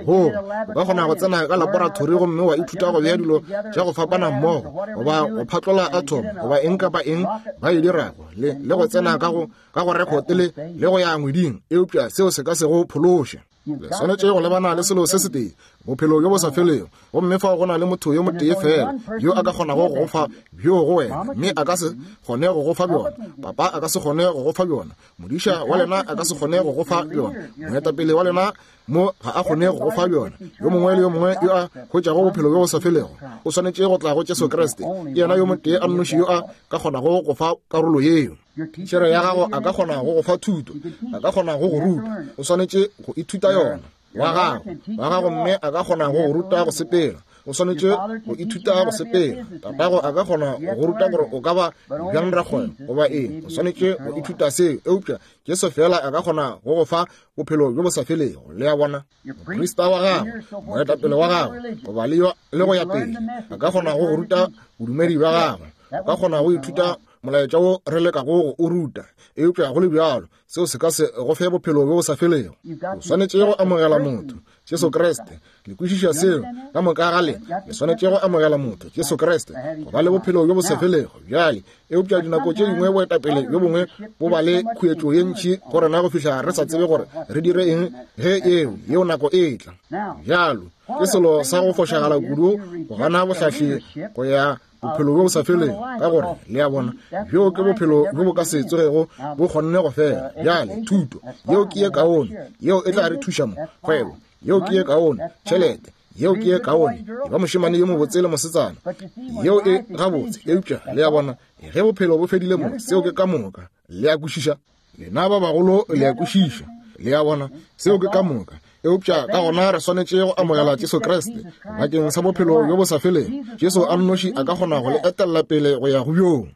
Go o ka kgona go tsena ka laboratori gomme wa ithuta go bea dilo tša go fapana mmogo, goba go phatlola atom, goba eng kapa eng ba e dirago, le le go tsena ka go ka go rekote le le go ya ngweding, eupša seo se ka se go phološe. Le swanetše go lebana le selo se setee, bophelo bjo bo sa felego, gomme fao go na le motho yo motee fela yo a ka kgonago go go fa bjo go wena, mme a ka se kgone go go fa bjona. Papa a ka se kgone go go fa bjona, modiša wa lena a ka se kgone go go fa bjona, moetapele wa lena mo ga a kgone go go fa bjona. Yo mongwe le yo mongwe yo a hwetšago bophelo bjo bo sa felego o swanetše go tla go Jesu Kriste. Ke yena yo motee a nnoši yo a ka kgonago go fa karolo yeo. Tšhere ya gago a ka kgona go go fa thuto, a ka kgona go go ruta, o swanetše go ithuta yona. Wa gago wa gago mme a ka kgona go go ruta go sepela, o swanetše go ithuta go sepela. Tatago a ka kgona go go ruta gore o ka ba bjang rakgwebo goba eng, o swanetše go ithuta seo. Eupša Jesu fela a ka kgona go go fa bophelo bjo bo sa felego. Le a bona? Moprista wa gago, moetapele wa gago, goba le yo le go ya pele, a ka kgona go go ruta bodumedi bja gagwe, o ka kgona go ithuta molaetša wo re lekago go o ruta, eupša go le bjalo seo se ka se go fe bophelo bjo bo sa felego. O swanetše go amogela motho Jesu Kriste. Le kwešiša seo ka moka ga lena? Le swanetše go amogela motho Jesu Kriste go ba le bophelo bjo bo sa felego. Bjale, eupša dinako tše dingwe boetapele bjo bongwe bo ba le khuetšo ye ntši go rena go fihla re sa tsebe gore re dire eng ge eo yeo nako e tla. Bjalo ke selo sa go fošagala kudu go gana bohlahli go ya bophelo bjo bo sa felego, ka gore le a bona, bjo ke bophelo bjo bo ka se tsogego bo kgonne go fela. Bjale thuto yeo ke ye kaone, yeo e tla re thuša mo. Kgwebo yeo ke ye kaone, tšhelete yeo ke ye kaone, e ba mošemane yo mobotse le mosetsana, yeo e gabotse. Eupša le a bona, ge bophelo bo fedile mo, seo ke ka moka. Le a kwešiša? Lena ba bagolo le a kwešiša. Le a bona, seo ke ka moka. Eupša ka gona re swanetše go amogela Jesu Kriste bakeng sa bophelo bjo bo sa felego. Jesu a nnoši a ka kgona go le etella pele go ya go bjoo.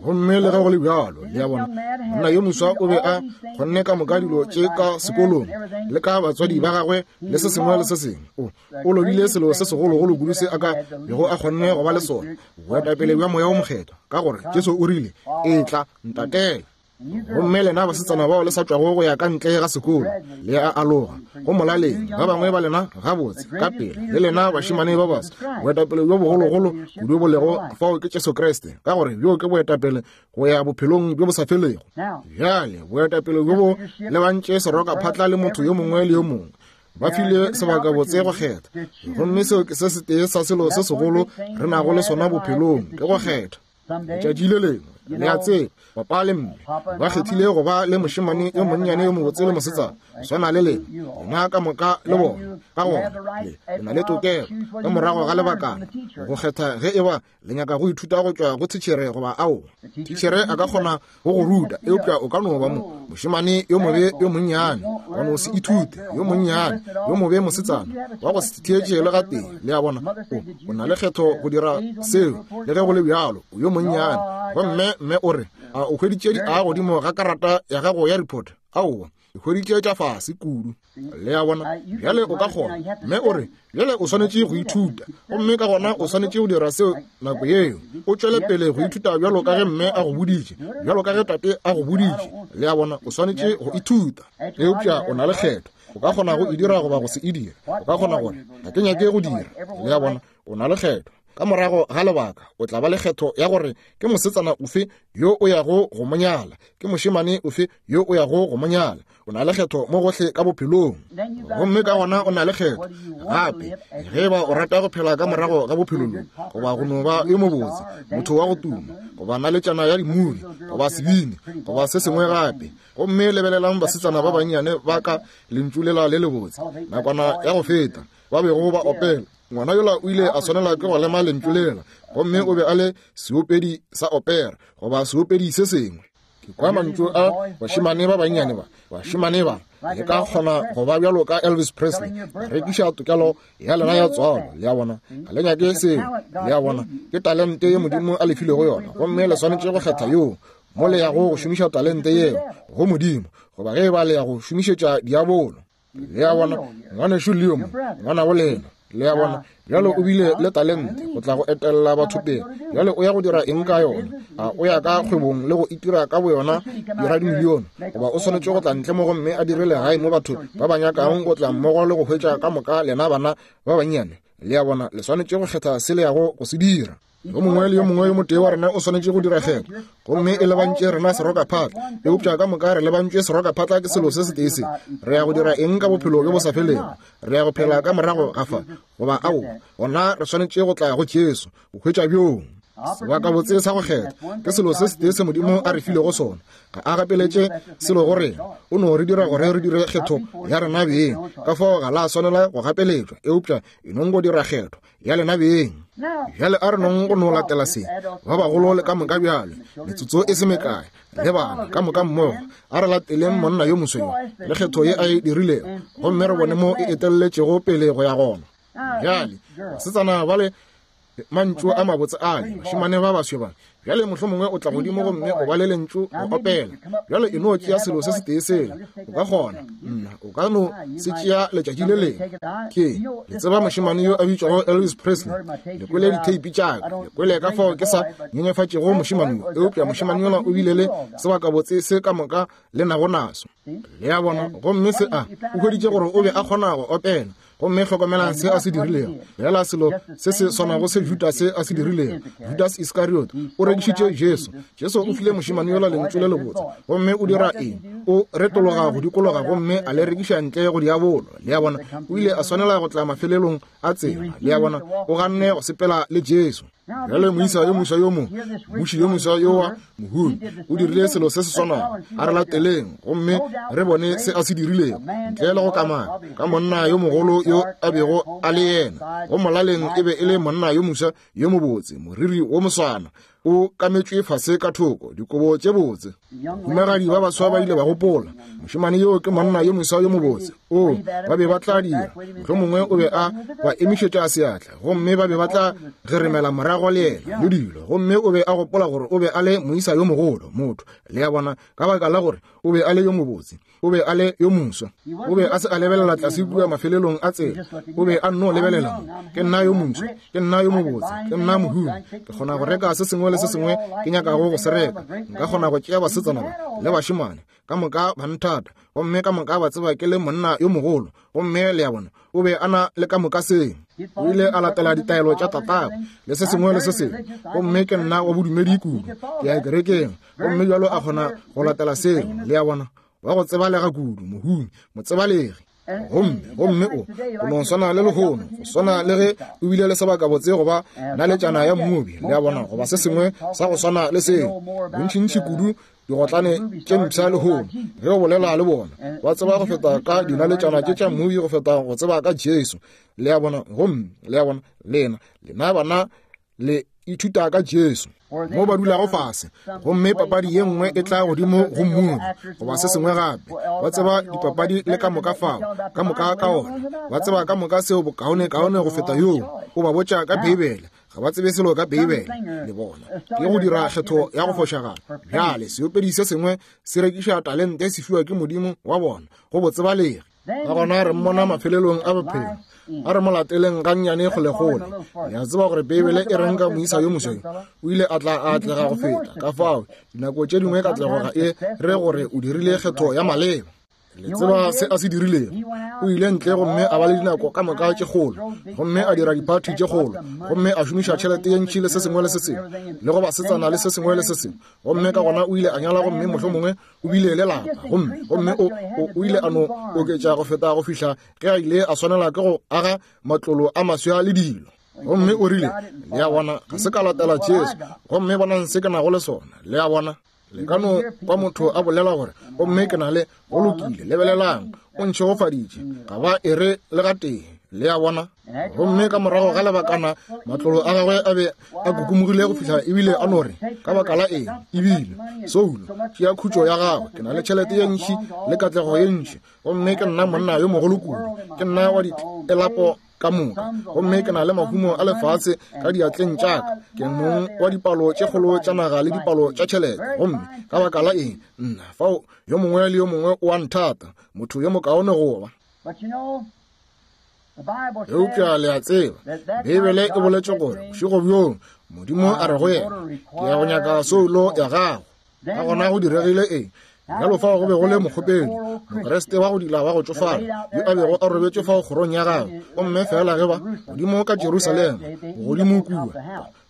Gomme le ge go le bjalo, le a bona, monna yo moswa o be a kgonne ka moka dilo tše ka sekolong le ka batswadi ba gagwe le se sengwe le se sengwe. O o lobile selo se segologolo kudu se a ka bego a kgonne go ba le sona, boetapele bja Moya o Mokgethwa, ka gore Jesu o rile, etla ntatele. Gomme lena basetsana bao le sa tšwago go ya ka ntle ga sekolo, le a aloga go molaleng. Ba bangwe ba lena gabotse ka pele, le lena bašemane ba basa, boetapele bjo bogologolo kudu bo lego fao ke Jesu Kriste, ka gore bjo ke boetapele go ya bophelong bjo bo sa felego. Bjale boetapele bjo bo lebantše serokaphatla le motho yo mongwe le yo mongwe, ba file sebaka botse go kgetha. Gomme seo ke se setee sa selo se segolo re nago le sona bophelong, ke go kgetha. Letšatši le lengwe, le a tseba, papa le mme ba kgethile go ba le mošemane yo monnyane yo mobotse le mosetsana swana le lena, lena ka moka le bona. Ka gona le le na le tokelo ka morago ga lebakana go kgetha ge e ba le nyaka go ithuta go tšwa go thitšhere goba aowa. Thitšhere a ka kgona go go ruta, eupša o ka no ba mo mošemane yo mobe yo monnyane wa no se ithute, yo monnyane yo mobe mosetsana wa go se theetše le gatee. Le a bona, o o na le kgetho go dira seo, le ge go le bjalo o yo monnyane. Gomme mme o re, a o hweditše di a godimo ga karata ya gago ya report? Aowa, e hweditše tša fase kudu. Le a bona? Bjale o ka kgona. Mme o re, bjale o swanetše go ithuta, gomme ka gona o swanetše go dira seo nako yeo. O tšwele pele go ithuta bjalo ka ge mme a go boditše, bjalo ka ge tate a go boditše. Le a bona, o swanetše go ithuta. Eupša o na le kgetho, o ka kgona go e dira goba go se e dire. O ka kgona gore ga ke nyake go dira. Le a bona, o na le kgetho. Ka morago ga lebaka o tla ba le kgetho ya gore ke mosetsana ofe yo o yago go mo nyala, ke mošemane ofe yo o yago go mo nyala. O na le kgetho mo gohle ka bophelong. Gomme ka gona o na le kgetho gape ge ba o rata go phela ka morago ga bophelo bjo, goba go no ba yo mobotse, motho wa go tuma, goba naletšana ya dimuvi, goba sebini, goba se sengwe gape. Gomme lebelelang basetsana ba bannyane ba ka lentšu lela le lebotse nakwana ya go feta. ba bego ba opela. Ngwana yola o ile a swanela ke go lema lentšu lela, gomme o be a le seopedi sa opera goba seopedi se sengwe. Ke kwa mantšu a bašemane ba bannyane ba, bašemane ba le ka kgona go ba bjalo ka Elvis Presley, rekiša tokelo ya lena ya tswalo. Le a bona, ga le nyake seo. Le a bona, ke talente ye Modimo a le filego yona, gomme le swanetše go kgetha yoo mo le yago go šomiša talente yeo go Modimo, goba ge e ba le ya go šomišetša diabolo. Le a bona, ngwanešu Leo mo, ngwana go lena. Le a bona, bjalo o bile le talente go tla go etella batho pele. Bjale o ya go dira eng ka yona? A o ya ka kgwebong le go itira ka boyona dira dimilione, goba o swanetše go tla ntle mo gomme a dire legae mo batho ba ba nyakang go tla mmogo le go hwetša ka moka lena bana ba bannyane? Le a bona, le swanetše go kgetha se le yago go se dira. Yo mongwe le yo mongwe yo motee wa rena o swanetše go dira kgetho, gomme e lebantše rena serokaphatla, eupša ka moka re lebantšwe serokaphatla ke selo se setee se. Re ya go dira eng ka bophelo bjo bo sa felego? Re ya go phela ka morago ga fa, goba ao? Gona re swanetše go tla go Jesu go hwetša bjoo sebakabotse sa go kgetha. Ke selo se setee se Modimo a re filego sona. Ga a gapeletše selo go rena, o no re dira gore re dire kgetho ya rena beng. Ka fao ga la swanela go gapeletšwa, eupša e nong go dira kgetho ya lena beng. Bjale a re nong go no latela se ba bagolo le ka moka bjale, metsotso e se mekae, le bana ka moka mmogo. A re lateleng monna yo mosweu le kgetho ye a e dirilego, gomme re bone mo e etelletšego pele go ya gona. Bjale basetsana ba le mantšu a mabotse ale, bašemane ba baswe ba. Bjale mohlomongwe o tla godimo gomme o ba le lentšu go opela. Bjale e no tšea selo se setee sela, o ka kgona, nna o ka no se tšea letšatši le lengwe. Ke le tseba mošemane yo a bitšwago Elvis Presley. Le kwele ditheipi tša ka, le kwele ka fao ke sa nyenyefatšego mošemane yo, eupša mošemane yola o bile le sebakabotse se ka moka le nago naso. Le a bona, gomme se a o hweditše gore o be a kgona go opela. Gomme hlokomelang se a se dirilego. Bjala selo se se swanago se Judas a se dirilego. Judas Iskariot o rekišitše Jesu. Jesu o file mošemane yola lentšu le lebotse, gomme o dira eng? O retologa go dikologa gomme a le rekiša ntle go diabolo. Le a bona, o ile a swanela go tla mafelelong a tsela. Le a bona, o ganne go sepela le Jesu. Bjale moisa yo moswa yo mongwe, mmuši yo moswa yo wa mohumi, o dirile selo se se swanago. A re lateleng gomme re bone se a se dirilego, ntle le go kamana ka monna yo mogolo yo a bego a le yena. Go molaleng e be e le monna yo moswa yo mobotse, moriri wo moswana o kametšwe fase ka thoko, dikobo tše botse. Bahumagadi ba baswa ba ile ba gopola, mošemane yo ke monna yo moswa yo mobotse. O, ba be ba tla dira, mohlomongwe o be a ba emišetša seatla, gomme ba be ba tla geremela morago le yena le dilo. Gomme o be a gopola gore o be a le moisa yo mogolo, motho. Le a bona, ka baka la gore o be a le yo mobotse, o be a le yo moswa. O be a se a lebelela tlase kua mafelelong a tsela, o be a nno lebelela mo. Ke nna yo moswa, ke nna yo mobotse, ke nna mohumi, ke kgona go reka se sengwe le se sengwe ke nyakago go se reka. Nka kgona go tšea basetsana ba le bašemane ka moka ba nthata, gomme ka moka ba tseba ke le monna yo mogolo. Gomme le a bona, o be a na le ka moka seng. O ile a latela ditaelo tša tatagwe le se sengwe le se sengwe. Gomme ke nna wa bodumedi kudu, ke ya kerekeng, gomme bjalo a kgona go latela seo. Le a bona, wa go tsebalega kudu, mohumi, motsebalegi. Gomme gomme o o no swana le lehono, go swana le ge o bile le sebakabotse goba naletšana ya mmobi. Le a bona, goba se sengwe sa go swana le seo. Bontšintši kudu digotlane tše mpsha lehono, ge o bolela le bona, ba tseba go feta ka dinaletšana tše tša mmobi go feta go tseba ka Jesu. Le a bona, gomme le a bona, lena lena bana le ithuta ka Jesu mo ba dulago fase, gomme papadi ye nngwe e tla godimo go mmubi goba se sengwe gape. Ba tseba dipapadi le ka moka fao, ka moka ka ona. Ba tseba ka moka seo bokaone kaone go feta yoo. O ba botša ka Beibele, ga ba tsebe selo ka Beibele. Le bona, ke go dira kgetho ya go fošagala. Bjale seopedi se sengwe se rekiša talente se fiwa ke Modimo wa bona go botsebalegi. Ka gona re mmona mafelelong a bophelo. A re mo lateleng gannyane kgolekgole. Le a tseba gore Beibele e reng ka moisa yo moswa yo? O ile a tla a atlega go feta. Ka fao dinako tše dingwe katlego ga e re gore o dirile kgetho ya maleba. Le tseba se a se dirilego? O ile ntle gomme a ba le dinako ka moka tše kgolo, gomme a dira diphathi tše kgolo, gomme a šomiša tšhelete ye ntši le se sengwe le se sengwe, le go basetsana le se sengwe le se sengwe. Gomme ka gona o ile a nyala, gomme mohlomongwe o bile le lapa, gomme gomme o, o, o ile a no oketša go feta go fihla ge a ile a swanela ke go aga matlolo a maswa le dilo. Gomme o rile, le a bona, ga se ka latela Jesu, gomme bonang se ke nago le sona. Le a bona, le ka no kwa motho a bolela gore, gomme ke na le, go lokile, lebelelang, o ntšhegofaditše, ga ba e re le gatee. Le a bona? Gomme ka morago ga lebakana matlolo a gagwe a be a kukumogile go fihla ebile a no re, ka baka la eng, ebile soulo tšea khutšo ya gagwe, ke na le tšhelete ye ntši le katlego ye ntši, gomme ke nna monna yo mogolo kudu, ke nna wa ditlelapo ka moka, gomme ke na le mahumo a lefase ka diatleng tša ka, ke mong wa dipalo tše kgolo tša naga le dipalo tša tšhelete, gomme ka baka la eng, nna fao yo mongwe le yo mongwe o a nthata, motho yo mokaone go ba. Eupša le a tseba, Beibele e boletše gore bošego bjoo Modimo a re go yena, ke ya go nyaka soulo ya gago. Ka gona go diregile eng? Bjalo fao go be go le mokgopedi, Mokriste wa go dila wa go tšofala, yo a bego a robetše fao kgorong ya gagwe, gomme fela ge ba godimo ka Jerusalema, bogodimo kua,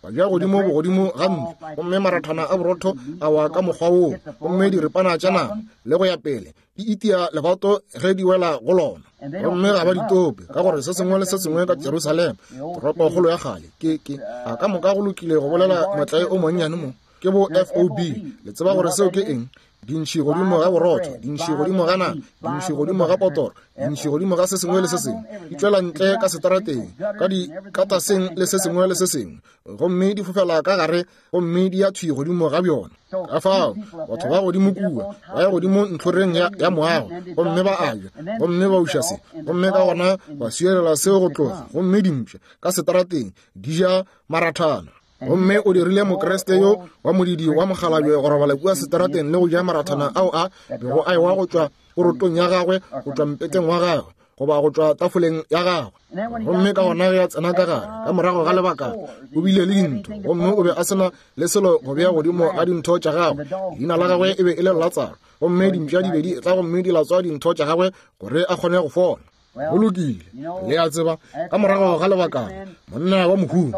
ba ja godimo bogodimo ga ntlo, gomme marathana a borotho a wa ka mokgwa woo, gomme diripana tša nama le go ya pele di itia lebato ge di wela go lona, gomme ga ba di tope, ka gore se sengwe le se sengwe ka Jerusalema, toropokgolo ya kgale, ke ke a ka moka go lokile go bolela motlae o monnyane mo, ke bo F O B. Le tseba gore seo ke eng? Dintšhi godimo ga borotho, dintšhi godimo ga nama, dintšhi godimo ga potoro, dintšhi godimo ga se sengwe le se sengwe, di tšwela ntle ka setarateng, ka dikataseng le se sengwe le se sengwe, gomme di fofela ka gare, gomme di ya thwi godimo ga bjona. Ka fao batho ba godimo kua ba ya godimo ntlhoreng ya, ya moago, gomme ba a ja, gomme ba uša se, gomme ka gona ba swielela seo go tloga, gomme dimpša ka setarateng di ja marathana. Gomme o dirile Mokriste yo wa modidi wa mokgalabje go robala kua setarateng le go ja marathana ao a bego a ewa go tšwa porotong ya gagwe, go tšwa mpeteng wa gagwe, goba go tšwa tafoleng ya gagwe. Gomme ka gona ge a tsena ka gare, ka morago ga lebaka, o bile le dintho, gomme o be a sena le selo go bea godimo ga dintho tša gagwe. Leina la gagwe e be e le Latsaro, gomme dimpša di be di tla gomme di latswa dintho tša gagwe gore a kgone go fola. Go lokile, le a tseba, ka morago ga lebakana, monna wa mohumi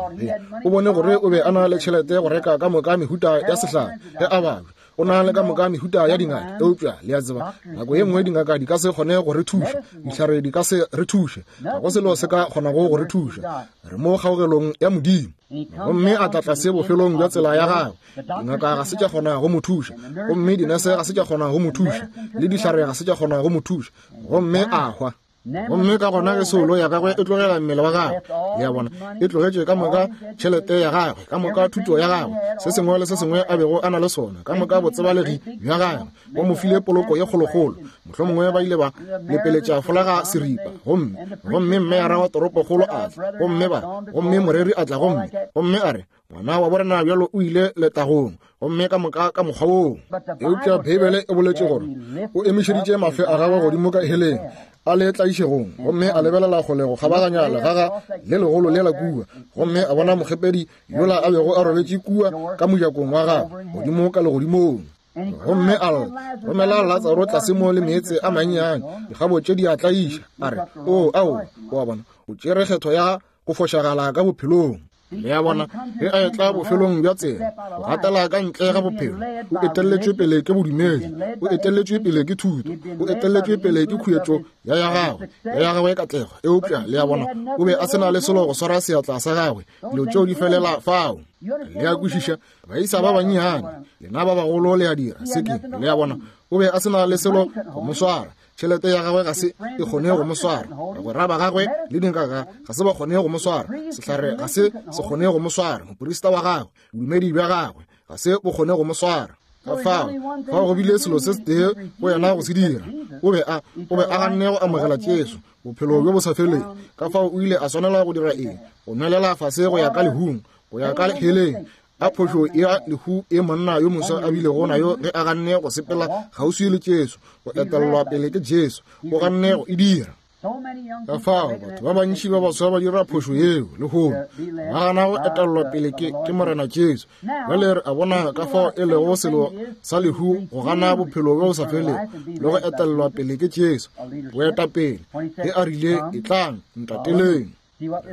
o bone gore o be a na le tšhelete go reka ka moka mehuta ya sehlare ge a babja, o na le ka moka mehuta ya dingaka. Eupša le a tseba, nako ye nngwe dingaka di ka se kgone go re thuša, dihlare di ka se re thuše, ga go selo se ka kgonago go re thuša, re mo kgaogelong ya Modimo. Gomme a tla tlase bofelong bja tsela ya gagwe, dingaka ga se tša kgona go mo thuša, gomme dinese ga se tša kgona go mo thuša, le dihlare ga se tša kgona go mo thuša, gomme a hwa. Gomme ka gona ge soulo ya gagwe e tlogela mmele wa gagwe, le a bona, e tlogetše ka moka tšhelete ya gagwe, ka moka thuto ya gagwe, se sengwe le se sengwe a bego a na le sona, ka moka botsebalegi bja gagwe, ba mo file poloko ye kgolokgolo. Mohlomongwe ba ile ba lepeletša folaga seripa, gomme gomme mmeyara wa toropokgolo a tla, gomme ba gomme moreri a tla, gomme gomme a re, ngwana wa borena bjalo o ile letagong, gomme ka moka ka mokgwa woo. Eupša Beibele e boletše gore o emišeditše mafe a gagwe godimo ka heleng a le tlaišegong, gomme a lebelela kgole go kgabaganya legaga le legolo lela kua, gomme a bona mokgepedi yola a bego a robetše kua ka mojakong wa gagwe godimo ka legodimong. Gomme a lla, romela Latsaro tlase mo le meetse a mannyane, dikgabo tše di a tlaiša. A re, o ao, o a bona, o tšere kgetho ya go fošagala ka bophelong. Le a bona, ge a etla bofelong bja tsela, go gatela ka ntle ga bophelo, o etelletšwe pele ke bodumedi, o etelletšwe pele ke thuto, o etelletšwe pele ke khuetšo ya ya gagwe, ya ya gagwe katlego. Eupša le a bona, o be a se na le selo go swara seatla sa gagwe, dilo tšeo di felela fao. Le a kwešiša, baisa ba bannyane, lena ba bagolo le a dira se ke, le a bona, o be a se na le selo go mo swara. Tšhelete ya gagwe ga se e kgone go mo swara, bagwera ba gagwe le dingaka ga se ba kgone go mo swara, sehlare ga se se kgone go mo swara, moporista wa gagwe, bodumedi bja gagwe ga se bo kgone go mo swara. Ka fao fao go bile selo se setee go yena go se dira, o be a o be a ganne go amogela Jesu, bophelo bjo bo sa feleng. Ka fao o ile a swanela go dira eng? Go nwelela fase go ya ka lehung, go ya ka heleng. A phošo ya lehu e monna yo moswa a bilego nayo ge a ganne go sepela kgauswi le Jesu, go etelelwa pele ke Jesu, o ganne go e dira. Ka fao batho ba bantši ba baswa ba dira phošo yeo lehono, ba gana go etelelwa pele ke, ke Morena Jesu. Bjale re a bona ka fao e lego selo sa lehu go gana bophelo bjo bo sa felego le go etelelwa pele ke Jesu, boetapele ge a rile, etlang ntateleng.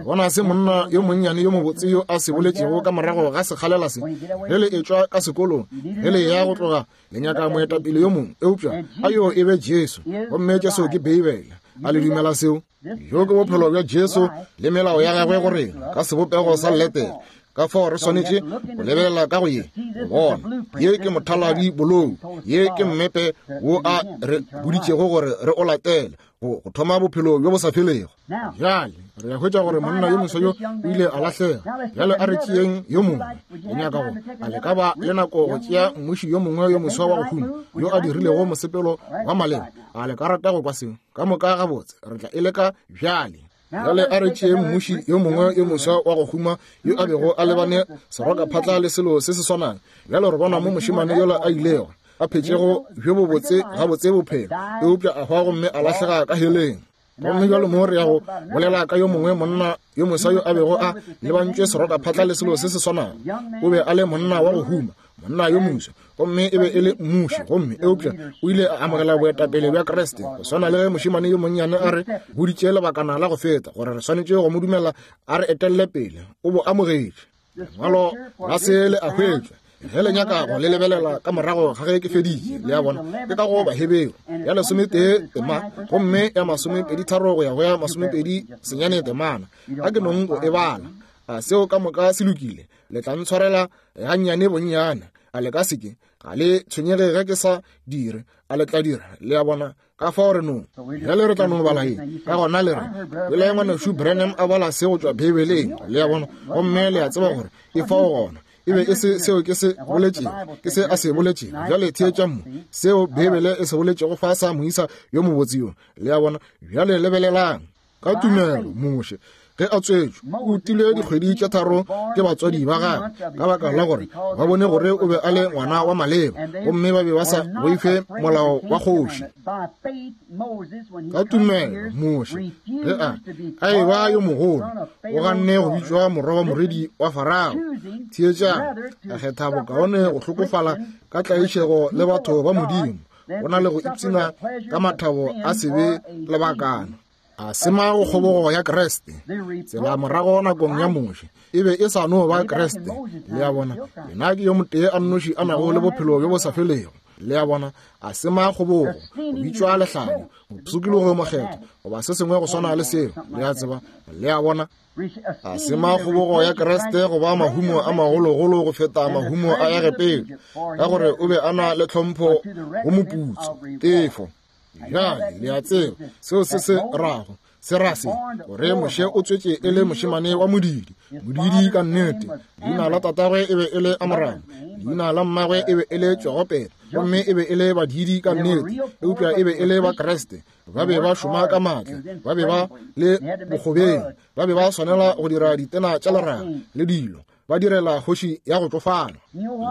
Bona se monna yo monnyane yo mobotse yo a se boletšego ka morago ga sekgalela se, ge le etšwa ka sekolong, ge le ya go tloga, le nyaka moetapele yo mongwe, eupša a yo e be Jesu, gomme Jesu ke Beibele. A le dumela seo? Yo ke bophelo bja Jesu le melao ya gagwe go rena ka sebopego sa letere. Ka fao re swanetše go lebelela ka go ye bona. Ye ke mothaladi bolou, ye ke mmepe wo a re boditšego gore re o latele go thoma bophelo bjo bo sa felego. Bjale re a hwetša gore monna yo moswa yo o ile a lahlega. Bjale a re tšeeng yo mongwe. Le nyaka go a le ka ba le nako go tšea mmuši yo mongwe yo moswa wa go huma yo a dirilego mosepelo wa maleba. A le ka rata go kwa seo? Ka moka gabotse, re tla e leka bjale. Bjale a re tšee mmuši yo mongwe yo moswa wa go huma yo a bego a lebane serokaphatla le selo se se swanang. Bjale re bona mo mošemane yola a ilego a phetšego bjo bobotse gabotse bophelo, eupša a hwa gomme a lahlega ka heleng. Gomme bjalo mo re ya go bolela ka yo mongwe monna yo moswa yo a bego a lebantšwe serokaphatla le selo se se swanang. O be a le monna wa go huma, monna yo moswa, gomme e be e le mmuši, gomme eupša o ile a amogela boetapele bja Kriste. Go swana le ge mošemane yo monnyane a re boditše lebakana la go feta gore re swanetše go mo dumela a re etelle pele, o bo amogetše. Lengwalo la se le a hwetšwa. Ge le nyaka go le lebelela ka morago ga ge ke feditše, le a bona, ke ka go Baheberu ya lesometee tema, gomme ya masomepedi tharo go ya go ya masomepedi senyane temana. A ke nong go e bala. A seo ka moka se lokile? Le tla ntshwarela gannyane bonnyane. A le ka seke? Ga le tshwenyege ge ke sa dire. A le tla dira? Le a bona, ka fao re no. Bjale re tla no bala ye. Ka gona le re, pele ngwanešu Branham a bala se go tšwa Beibeleng. Le a bona, gomme le a tseba gore e fao gona. E be e se seo ke se boletšego, ke se a se boletšego. Bjale theetša mo seo Beibele e se boletšego fa sa moisa yo mobotse yo. Le a bona, bjale lebelelang. Ka tumelo Moshe ge a tswetšwe o utile dikgwedi tše tharo ke batswadi ba gagwe, ka baka la gore ba bone gore o be a le ngwana wa maleba, gomme ba be ba sa boife molao wa kgoši. Ka tumelo Moshe ge a a eba yo mogolo, o ganne go bitšwa morwa wa morwedi wa Farao. Theetšang, a kgetha bokaone go hlokofala ka tlaišego le batho ba Modimo, go na le go ipshina ka mathabo a sebe lebakana. A sema go kgobogo ya Kriste. Tsela morago nakong ya Moshe e be e sa no ba Kriste. Le a bona, yena ke yo motee a nnoši a nago le bophelo bjo bo sa felego. Le a bona, a sema kgobogo, go bitšwa lehlanya, mopshikilogo mokgethwa, goba se sengwe go swana le seo. Le a tseba, le a bona, a sema kgobogo ya Kriste go ba mahumo a magologolo go feta mahumo a Egepeta, ka gore o be a na le tlhompho go moputso, tefo. Bjale le a tseba seo se se rago, se ra se gore Moshe o tswetše e le mošemane wa modidi, modidi ka nnete. Leina la tatagwe e be e le Amoramo, leina la mmagwe e be e le Jogopeta, gomme e be e le badidi ka nnete, eupša e be e le ba Kriste. Ba be ba šoma ka maatla, ba be ba le bokgobeng, ba be ba swanela go dira ditena tša leraga le dilo, ba direla kgoši ya go tšofala.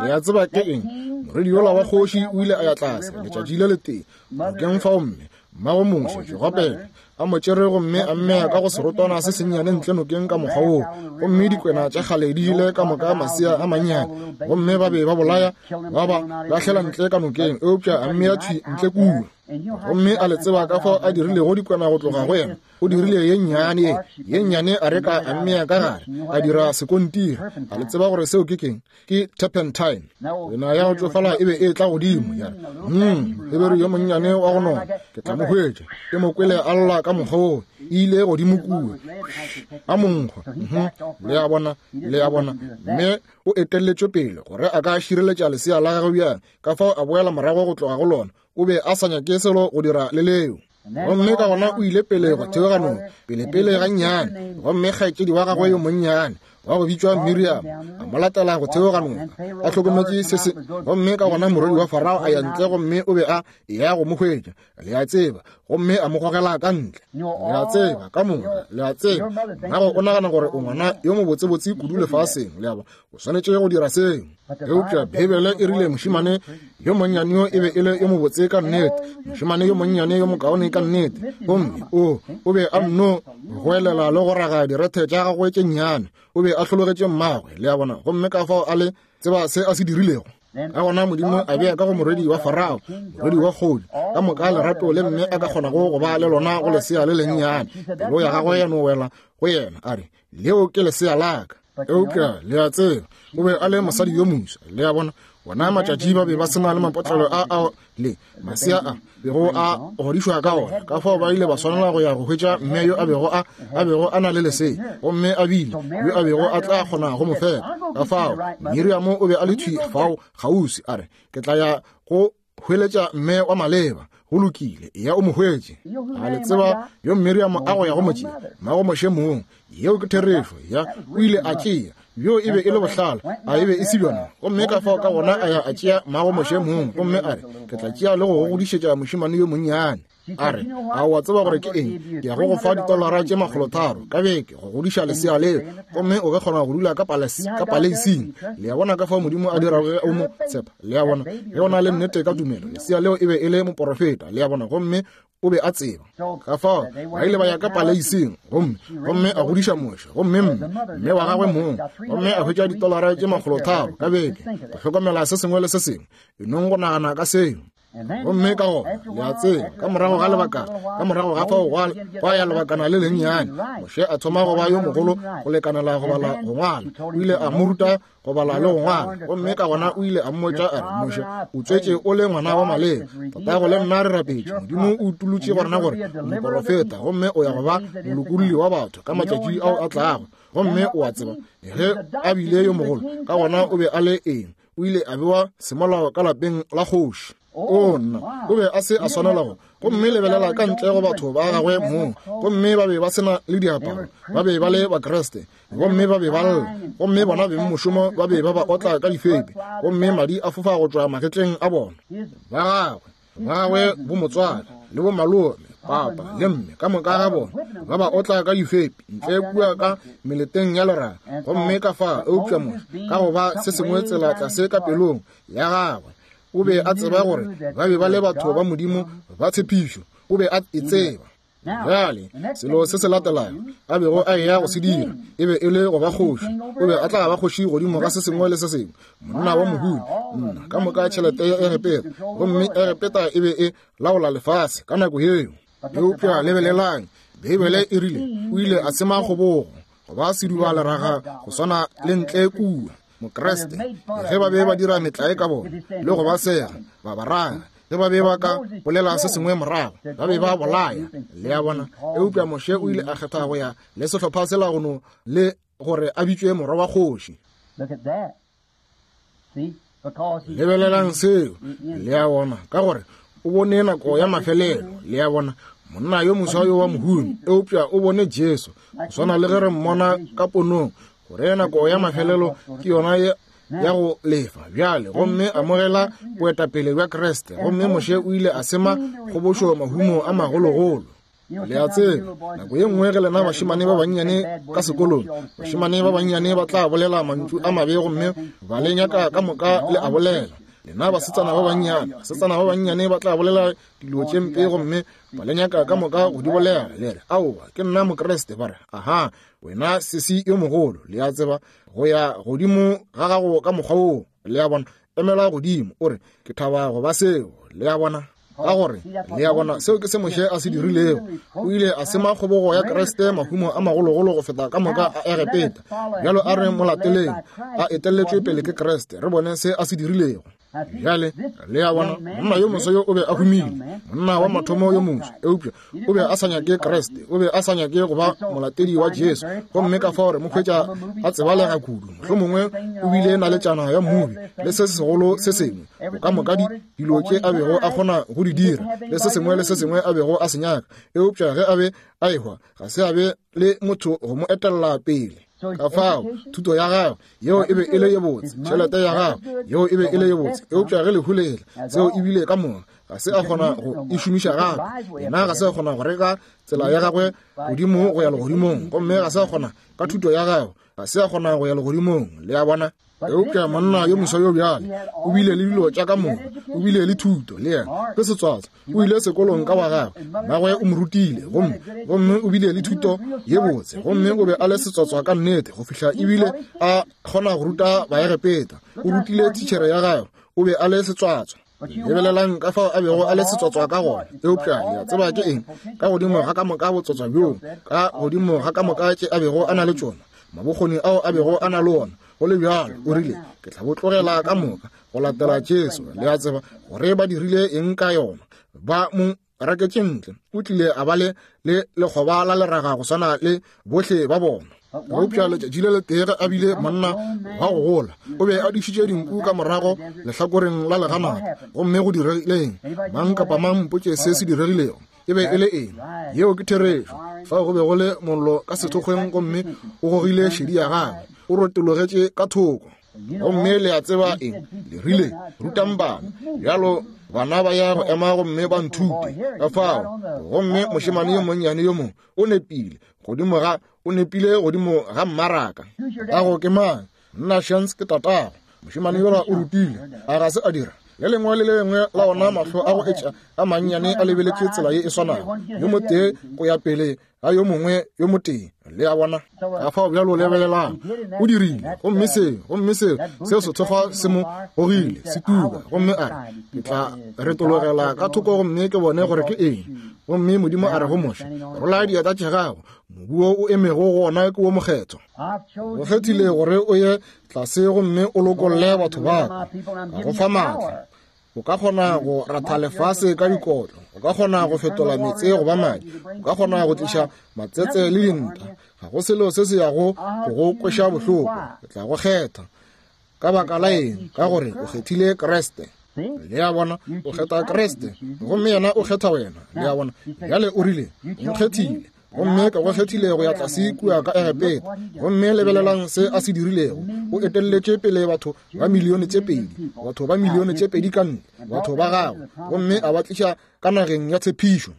Le a tseba ke eng? Morwedi yola wa kgoši o ile a ya tlase letšatši le letee nokeng fao, mme mmago Moshe Jogopeta a mo tšere gomme a mmea ka go serotwana se sennyane ntle nokeng ka mokgwa woo, gomme dikwena tša kgale di ile ka moka masea a mannyane, gomme ba be ba bolaya ba ba lahlela ntle ka nokeng, eupša a mmea thwi ntle kua. Gomme a le tseba ka fao a dirilego dikwena go tloga go yena? O dirile ye nnyane ye, ye nnyane a reka a mmea ka gare, a dira sekontiri. A le tseba gore seo ke keng? Ke turpentine. Wena ya go tšofala e be e tla godimo ya re, mm, Heberu yo monnyane wa go nona, ke tla mo hwetša. Ke mo kwele a lla ka mokgwa woo, e ile godimo kua a monkgwa. Le a bona, le a bona, mme o etelletšwe pele gore a ka šireletša lesea la gagwe bjang. Ka fao a boela morago go tloga go lona. O be a sa nyake selo go dira le leo. Gomme ka gona o ile pele go theoga noka, pelepele gannyane, gomme kgaetšedi wa gagwe yo monnyane wa go bitšwa Miriam a mo latela go theoga noka, a hlokometše se se. Gomme ka gona morwedi wa Farao a ya ntle, gomme o be a eya go mo hwetša, le a tseba, gomme a mo gogela ka ntle. Le a tseba, ka moka, le a tseba, mmago o nagana gore o ngwana yo mobotsebotse kudu lefaseng, le a bona, o swanetše go dira seo. Eupša Beibele e rile mošemane yo monnyane yo e be e le yo mobotse ka nnete, mošemane yo monnyane yo mokaone ka nnete, gomme o o be a nno goelela le go raga direthe tša gagwe tše nnyane. O be a hlologetše mmagwe, le a bona, gomme ka fao a le tseba se a se dirilego. Ka gona Modimo a bea ka go morwedi wa Farao, morwedi wa kgoši, ka moka lerato le mme a ka kgonago go ba le lona go lesea le lennyane. Pelo ya gagwe ya no wela go yena, a re, leo ke lesea la ka. Eupša le a tseba, o be a le mosadi yo moswa, le a bona, Wona matšatši ba be ba se na le mapotlelo a ao le masea a bego a godišwa ka ona. Ka fao ba ile ba swanela go ya go hwetša mme yo a bego a a bego a na le lesea, gomme a bile yo a bego a tla kgona go mo fepa. Ka fao Miriamo o be a le thwi fao kgauswi, a re, ke tla ya go hweletša mme wa maleba. Go lokile, eya o mo hwetše. A le tseba yo Miriamo a go ya go mo tšea? Mmago Moshe mong. Yeo ke therešo. Ya, o ile a tšea. Bjo e be e le bohlale, a e be e se bjona? Gomme ka fao ka gona a ya a tšea mmago Moshe mong, gomme a re, ke tla tšea le go go godišetša mošemane yo monnyane. A re, a wa tseba gore ke eng? Ke ya go go fa ditolara tše makgolotharo ka beke go godiša lesea leo, gomme o ka kgona go dula ka ka paleising. Le a bona ka fao Modimo a dirago ge o mo tshepa. Le a bona, ge o na le nnete ka tumelo, lesea leo e be e le moporofeta. Le a bona, gomme o be a tseba. Ka fao ba ile ba ya ka paleising, gomme gomme a godiša Moshe, gomme mme mme wa gagwe mong, gomme a hwetša ditolara tše makgolotharo ka beke go hlokomela se sengwe le se sengwe. E nong go nagana ka seo. Gomme ka gona, le a tseba, ka morago ga lebakana, ka morago ga fao gwa ya lebakana le lennyane, Moshe a thoma go ba yo mogolo go lekanela go bala go ngwala. O ile a mo ruta go bala le go ngwala, gomme ka gona o ile a mmotša a re, Moshe, o tswetše o le ngwana wa maleba. Tatago le nna re rapetše, Modimo o utolotše go rena gore o moporofeta, gomme o ya go ba molokolli wa batho ka matšatši ao a tlago. Gomme o a tseba, ge a bile yo mogolo, ka gona o be a le eng? O ile a bewa semolao ka lapeng la kgoši. O nna, o be a se a swanela go. Gomme lebelela ka ntle go batho ba gagwe mong, gomme ba be ba se na le diaparo, ba be ba le Bakreste, gomme ba be ba lla, gomme bona beng mošomo ba be ba ba otla ka difepe, gomme madi a fofa go tšwa magetleng a bona. Ba gagwe, ba gagwe bo motswala le bo malome, papa le mme, ka moka ga bona ba ba otla ka difepe ntle kua ka meleteng ya leraga. Gomme ka fa eupša Moshe ka go ba se sengwe tsela tlase ka pelong ya gagwe, o be a tseba gore ba be ba le batho ba Modimo ba tshepišo. O be a e tseba. Bjale selo se se latelago a bego a eya go se dira e be e le go ba kgoši. O be a tla ba kgoši godimo ga se sengwe le se sengwe, monna wa mohumi, nna ka moka tšhelete ya Egepeta, gomme Egepeta e be e laola lefase ka nako yeo. Eupša lebelelang, Beibele e rile o ile a sema kgobogo go ba seduba leraga go swana le ntle kua. Mokreste, ge ba be ba dira metlae ka bona le go ba sega, ba ba raga, ge ba be ba ka bolela se sengwe morago, ba be ba bolaya. Le a bona? Eupša Moshe o ile a kgetha go ya le sehlopha sela go no le gore a bitšwe morwa wa kgoši. Lebelelang seo. Le a bona? Ka gore o bone nako ya mafelelo. Le a bona? Monna yo moswa yo wa mohumi, eupša o bone Jesu, go swana le ge re mmona ka ponong, gore nako ya mafelelo ke yona ya go lefa bjale, gomme amogela boetapele bja Kreste. Gomme Moshe o ile a sema kgobošo mahumo a magologolo. Le a tseba, nako ye nngwe ge lena bašemane ba bannyane ka sekolong, bašemane ba bannyane ba tla bolela mantšu a mabe, gomme ba le nyaka ka moka le a bolela. Lena basetsana ba bannyane, basetsana ba bannyane ba tla bolela dilo tše mpe, gomme ba le nyaka ka moka go di bolela. Le re, aowa, ke nna Mokreste. Ba re, aha, wena sesi yo mogolo. Le a tseba, go ya godimo ga gago ka mokgwa woo. Le a bona, emela godimo o re, ke thaba go ba seo. Le a bona, ka gore le a bona, seo ke se Moshe a se dirilego. O ile a sema kgobogo ya Kreste mahumo a magologolo go feta ka moka a Egepeta. Bjalo a re mo lateleng, a etelletšwe pele ke Kreste, re bone se a se dirilego. Bjale le a bona, monna yo moswa yo o be a humile, monna wa mathomo yo moswa, eupša o be a sa nyake Kreste, o be a sa nyake go ba molatedi wa Jesu. Gomme ka fao re mo hwetša a tsebalega kudu, mohlomongwe o bile naletšana ya mmubi le se segolo se sengwe, ka moka dilo tše a bego a kgona go di dira, le se sengwe le se sengwe a bego a se nyaka. Eupša ge a be a ehwa, ga se a be le motho go mo etella pele. Ka fao thuto ya gagwe yeo e be e le ye botse, tšhelete ya gagwe yeo e be e le ye botse, eupša ge lehu le etla, seo e bile ka moka ga se a kgona go e šomiša gape. Yena ga se a kgona go reka tsela ya gagwe godimo go ya legodimong, gomme ga se a kgona ka thuto ya gagwe, ga se a kgona go ya legodimong. Le a bona? Eupša monna yo moswa yo bjale o bile le dilo tša ka moka, o bile le thuto, le yena ke setswatsa, o ile sekolong ka wa gagwe, mmagwe o mo rutile, gomme gomme o bile le thuto ye botse, gomme o be a le setswatswa ka nnete go fihla ebile a kgona go ruta Baegepeta. O rutile thitšhere ya gagwe, o be a le setswatswa. Lebelelang ka fao a bego a le setswatswa ka gona. Eupša le a tseba ke eng? Ka godimo ga ka moka botswatswa bjoo, ka godimo ga ka moka tše a bego a na le tšona, mabokgoni ao a bego a na le ona, Go le bjalo, o rile, ke tla bo tlogela ka moka go latela Jesu. Le a tseba gore ba dirile eng ka yona. Ba mo raketše ntle. O tlile a ba le le lekgoba la leraga go swana le bohle ba bona. Eupša letšatši le letee ge a bile monna wa go gola, o be a dišitše dinku ka morago lehlakoreng la leganata. Gomme go diregileng? Mang kapa mang mpotše se se diregilego. E be e le eng? Yeo ke therešo. Fao go be go le mollo ka sethokgweng, gomme o gogile šedi ya gagwe, o rotologetše ka thoko. Gomme le a tseba eng? Le rile, rutang bana. Bjalo bana ba ya go ema gomme ba nthute. Ka fao, gomme mošemane yo monnyane yo mongwe o nepile godimo ga o nepile godimo ga mmaraka. Tatago ke mang? Nna Shans ke tatago. Mošemane yola o rutile, a ga se a dira? Le lengwe le lengwe la ona mahlo a go etša a mannyane a lebeletše tsela ye e swanago, yo motee go ya pele ga yo mongwe yo motee. Le a bona? Ka fao bjalo lebelelang, o dirile, gomme se, gomme se, seo sethokgwa se mo gogile, se tuka, gomme a re, ke tla retologela ka thoko gomme ke bone gore ke eng. Gomme Modimo a re go Moshe, rola diatla tša gago, mobu wo o emego go ona ke wo mokgethwa. O kgethile gore o ye tlase gomme o lokolle batho ba ka, ka go fa maatla. O ka kgona go ratha lefase ka dikotlo, o ka kgona go fetola meetse go ba madi, o ka kgona go tliša matsetse le dinta. Ga go selo se se yago go go kweša bohloko. Ke tla go kgetha. Ka baka la eng? Ka gore o kgethile Kriste. Le a bona, o kgetha Kriste, gomme yena o kgetha wena. Le a bona, bjale o rile, o nkgethile, gomme ka go kgethile go ya tlase kua ka Egepeta. Gomme lebelelang se a se dirilego. O etelletše pele batho ba milione tše pedi, batho ba milione tše pedi ka ntle, batho ba gagwe, gomme a ba tliša ka nageng ya tshepišo.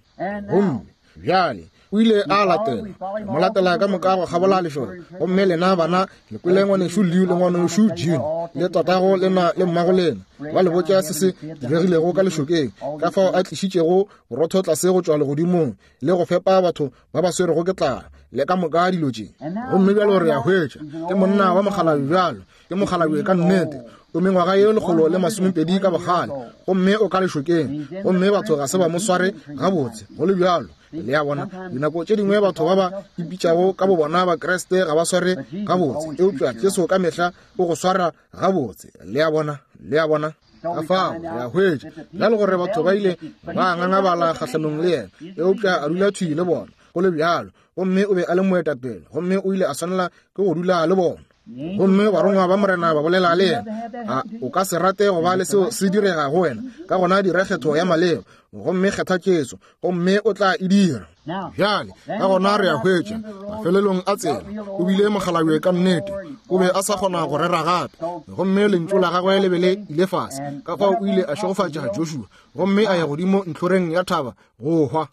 Gomme bjale o ile a latela, mo latela ka moka go kgabola lešoka. Gomme lena bana le kwele ngwanešu Leo le ngwanešu June le tatago lena le mmago lena ba le botša se se diregilego ka lešokeng, ka fao a tlišitšego borotho tlase go tšwa legodimong le go fepa batho ba ba swerego ke tlala le ka moka dilo tše. Gomme bjalo re a hwetša ke monna wa mokgalabje bjalo, ke mokgalabje ka nnete, o mengwaga ye lekgolo le masomepedi ka bogale, gomme o ka lešokeng, gomme batho ga se ba mo sware gabotse. Go le bjalo, le a bona, dinako tše dingwe batho ba ba ipitšago ka bobona ba Kriste ga ba sware gabotse, eupša Jesu ka mehla o go swara gabotse. Le a bona, le a bona. Ka fao re a hwetša bjalo gore batho ba ile ba ngangabala kgahlanong le yena, eupša a dula thwi le bona. Go le bjalo, gomme o be a le moetapele, gomme o ile a swanela ke go dula le bona. Gomme barongwa ba Morena ba bolela le yena, a o ka se rate go ba le seo se direga go wena? Ka gona dira kgetho ya maleba, gomme kgetha Jesu, gomme o tla e dira. Bjale ka gona re a hwetša mafelelong a tsela o bile mokgalabje ka nnete, o be a sa kgona go rera gape, gomme lentšu la gagwe le be le ile fase. Ka fao o ile a šegofatša Joshua, gomme a ya godimo ntlhoreng ya thaba go hwa.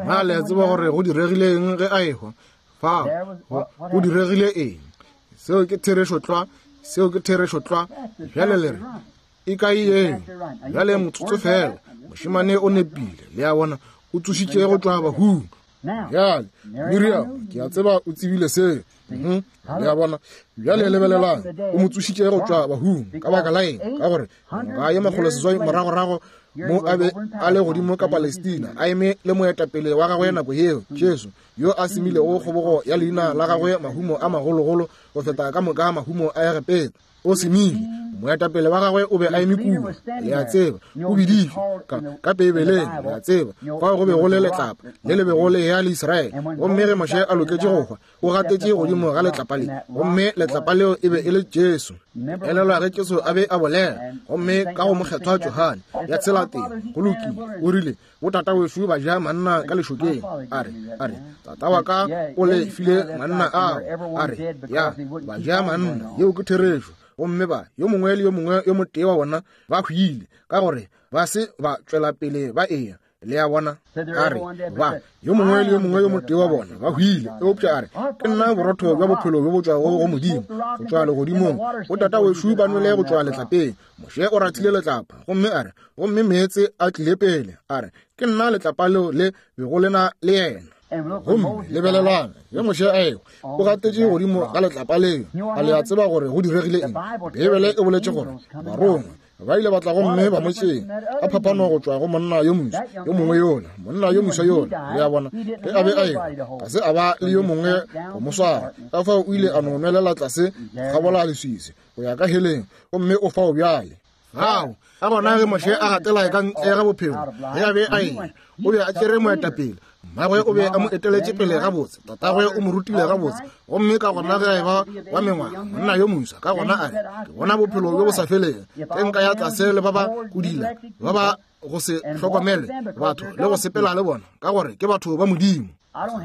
Na le a tseba gore go diregile eng ge a ehwa? Fao go diregile eng? Seo ke therešo tlwa, seo ke therešo tlwa. Bjale le re, e kae eo? Bjale motsotso fela, mošemane o nepile. Le a bona, o tsošitše go tšwa bahung. Bjale Miriam, ke a tseba o tsebile seo. Le a bona, bjale lebelelang, o mo tsošitše go tšwa bahung. Ka baka la eng? Ka gore ngwaga ye makgolo seswai moragorago mo a be a le godimo ka Palestina, a eme le moetapele wa gagwe nako yeo, Jesu, yo a semilego kgobogo ya leina la gagwe mahumo a magologolo go feta ka moka mahumo a Egepeta. O semile, moetapele wa gagwe o be a eme kua. Le a tseba, o biditšwe ka, ka Beibeleng. Le a tseba, fao go be go le letlapa le le bego le ya le Israele. Gomme ge Moshe a loketše go hwa, o gatetše godimo ga letlapa le, gomme letlapa leo e be e le Jesu. Elelwa ge Jesu a be a bolela, gomme ka go mokgethwa Johane ya tshela teng, go lokile, o rile, botata wešo ba ja manna ka lešokeng. A re, a re, tata wa ka o le file manna ao. A re, ya, ba ja manna, yeo ke therešo. Gomme ba, yo mongwe le yo mongwe yo motee wa bona ba hwile, ka gore ba se ba tšwela pele ba eya. Le a bona, a re, ba, yo mongwe le yo mongwe yo motee wa bona ba hwile, eupša a re, ke nna borotho bja bophelo bjo bo tšwago go Modimo, go tšwa legodimong. Botata wešo ba nwele go tšwa letlapeng. Moshe o rathile letlapa, gomme a re, gomme meetse a tlile pele. A re, ke nna letlapa leo le bego le na le yena. Gomme lebelelang, ge Moshe a ehwa, o gatetše godimo ga letlapa leo. A le a tseba gore go diregile eng? Beibele e boletše gore barongwa Ba ile ba tla gomme ba mo tšea ka phapano go tšwa go monna yo moswa yo mongwe yola, monna yo moswa yola. Le a bona, ge a be a ewa, ga se a ba le yo mongwe go mo swara. Ka fao o ile a no nwelela tlase kgabola leswiswi go ya ka heleng, gomme o fao bjale. Ao, ka gona ge Moshe a gatela ka ntle ga bophelo, ge a be a eya, o be a tšere moetapele. Mmagwe o be a mo eteletše pele gabotse, tatagwe o mo rutile gabotse, gomme ka gona ge a eba wa mengwaga, monna yo moswa, ka gona a re, ke bona bophelo bjo bo sa felego, ge nka ya tlase le ba ba kodila, ba ba go se hlokomele batho le go sepela le bona, ka gore ke batho ba Modimo.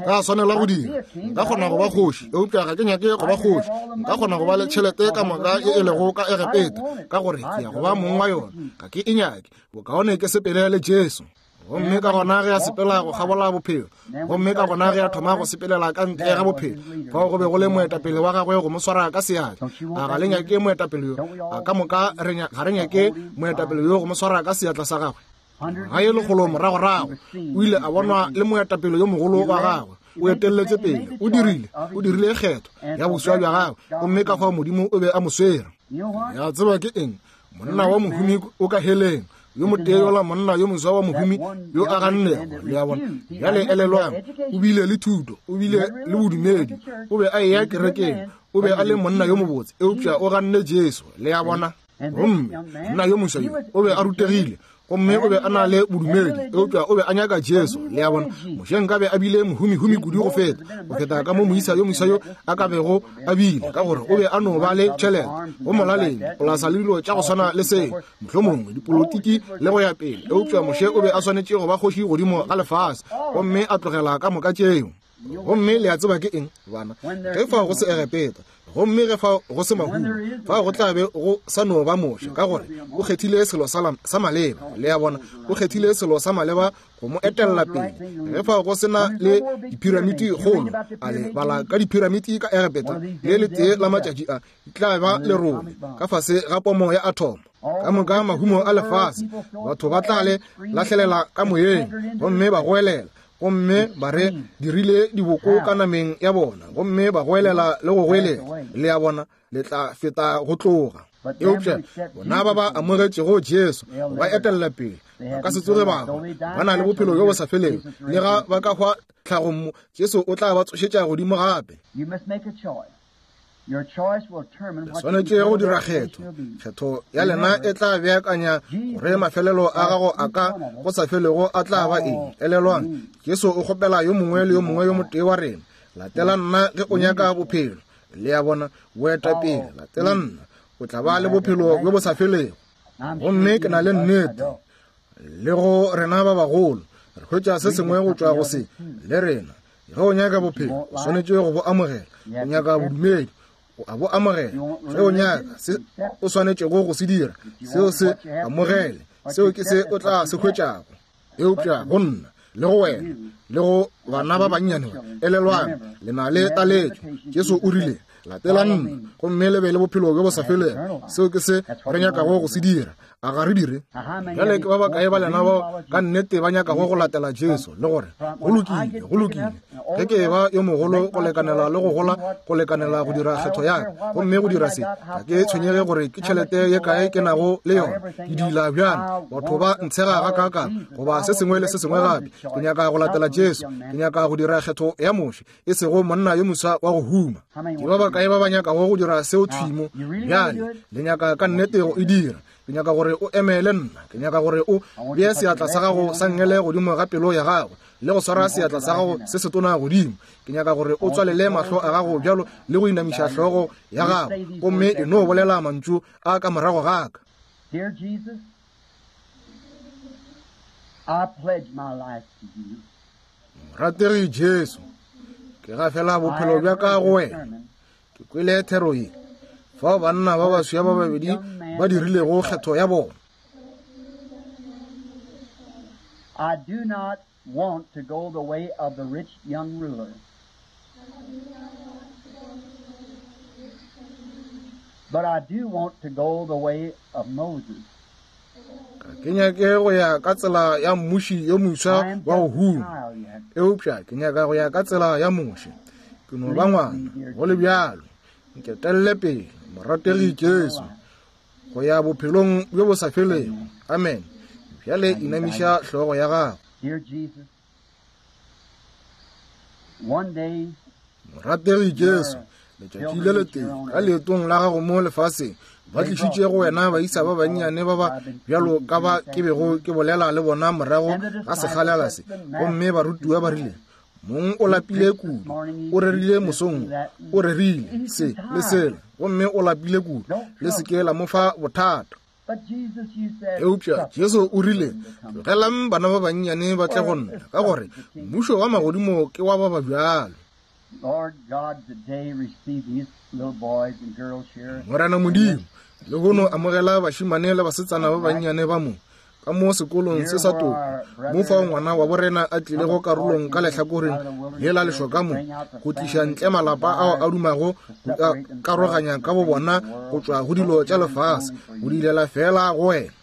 Ka swanela go dira, nka kgona go ba kgoši, eupša ga ke nyake go ba kgoši. Nka kgona go ba le tšhelete ka moka e e lego ka Egepeta, ka gore ke ya go ba mong wa yona. Ga ke e nyake, bokaone ke sepele le Jesu. Gomme ka gona ge a sepela go kgabola bophelo, gomme ka gona ge a thoma go sepelela ka ntle ga bophelo, fao go be go le moetapele wa gagwe go mo swara ka seatla. A ga le nyake moetapele yo? A ka moka ga re nyake moetapele yo go mo swara ka seatla sa gagwe? Ga ye lekgolo moragorago o ile a bonwa le moetapele yo mogolo wa gagwe. O etelletše pele, o dirile, o dirile kgetho ya boswa bja gagwe, gomme ka fao Modimo o be a mo swere. Ya tseba ke eng? Monna wa mohumi o ka heleng, yo motee yola monna yo moswa wa mohumi yo a gannego. Le a bona? Bjale elelwang, o bile le thuto, o bile le bodumedi, o be a eya kerekeng, o be a le monna yo mobotse, eupša o ganne Jesu. Le a bona? Gomme monna yo moswa yo o be a rutegile, gomme o be a na le bodumedi, eupša o be a nyaka Jesu. Le a bona? Moshe nkabe a bile mohumihumi kudu go feta, go feta ka mo moisa yo moswa yo a ka bego a bile, ka gore o be a no ba le tšhelete go molaleng, polasa le dilo tša go swana le seo, mohlomongwe dipolotiki le go ya pele. Eupša Moshe o be a swanetše go ba kgoši godimo ga lefase, gomme a tlogela ka moka tšeo. Gomme le a tseba ke eng, bana? Ge fao go se Egepeta, gomme ge fao go se mahumo, fao go tla be go sa no ba Moshe, ka gore o kgethile selo sa maleba. Le a bona? O kgethile selo sa maleba go mo etella pele. Ge fao go sena le diphiramiti kgolo, a le bala ka diphiramiti ka Egepeta, le letee la matšatši a di tla ba lerole ka fase ga pomo ya athomo. Ka moka mahumo a lefase, batho ba tla le lahlelela ka moyeng, gomme ba goelela, gomme ba re dirile diboko ka nameng ya bona, gomme ba goelela le go goelela. Le a bona? Le tla feta go tloga. Eupša bona ba ba amogetšego Jesu ba etella pele, ba ka se tsoge ba hwa, ba na le bophelo bjo bo sa felego. Le ga ba ka hwa tlhagong mo, Jesu o tla ba tsošetša godimo gape. Le swanetše go dira kgetho. Kgetho ya lena e tla beakanya gore mafelelo a gago a ka go sa felego a tla ba eng. Elelwang, Jesu o kgopela yo mongwe le yo mongwe yo motee wa rena, latela nna ge o nyaka bophelo. Le a bona? Boetapele, latela nna, o tla ba le bophelo bjo bo sa felego. Gomme ke na le nnete le go rena ba bagolo, re hwetša se sengwe go tšwa go se le rena. Ge o nyaka bophelo, o swanetše go bo amogela. O nyaka bodumedi, o a bo amogela. Ge o nyaka se o swanetšego go se dira, seo se amogele, seo ke se o tla se hwetšago. Eupša go nna le go wena le go bana ba bannyane, elelwang, le na le taletšo. Jesu o rile, latela nna, gomme le be le bophelo bjo bo sa felego. Seo ke se re nyakago go se dira. A ga re dire? Bjale ke ba bakae ba lena bao ka nnete ba nyakago go latela Jesu, le gore go lokile, go lokile, ge ke eba yo mogolo go lekanela le go gola go lekanela go dira kgetho ya ka, gomme go dira se, ga ke tshwenyege gore ke tšhelete ye kae ke nago le yona, ke dila bjang, batho ba ntshega gakaakang, goba se sengwe le se sengwe gape. Ke nyaka go latela Jesu, ke nyaka go dira kgetho ya Moshe, e sego monna yo moswa wa go huma. Ke ba bakae ba ba nyakago go dira seo thwimo bjale? Le nyaka ka nnete go e dira. Ke nyaka gore o emele nna. Ke nyaka gore o bee seatla sa gago sa nngele godimo ga pelo ya gago, le go swara seatla sa gago se setona godimo. Ke nyaka gore o tswalele mahlo a gago bjalo le go inamiša hlogo ya gago, gomme e no bolela mantšu a ka morago ga ka. Dear Jesus, I pledge my life to you. Morategi Jesu, ke gafela bophelo bja ka go wena. Ke kwele thero ye, fao banna ba baswa ba babedi ba dirilego kgetho ya bona. I do not want to go the way of the rich young ruler. But I do want to go the way of Moses. Ga ke nyake go ya ka tsela ya mmuši yo moswa wa go huma, eupša ke nyaka go ya ka tsela ya Moshe. Ke no ba ngwana, go le bjalo. Nketelle pele, morategi Jesu, go ya bophelong bjo bo sa felego. Amen. Bjale inamiša hlogo ya gago. Morategi Jesu, letšatši le letee ka leetong la gago mo lefaseng, ba tlišitše go wena baisa ba bannyane ba ba bjalo ka ba ke bego ke bolela le bona morago ga sekgalela se. Gomme barutiwa ba rile, mong o lapile kudu, o rerile mosong, o rerile se le sela, gomme o lapile kudu, le se ke la mo fa bothata. Eupša Jesu o rile, tlogelang bana ba bannyane ba tle go nna, ka gore mmušo wa magodimo ke wa ba ba bjalo. Morena Modimo, lehono amogela bašemane le basetsana ba bannyane ba mo ka mo sekolong se sa toko, mo fao ngwana wa borena a tlilego karolong ka lehlakoreng le la lešoka mo, go tliša ntle malapa ao a dumago go karoganya ka bo bona go tšwa go dilo tša lefase, go dilela fela go wena.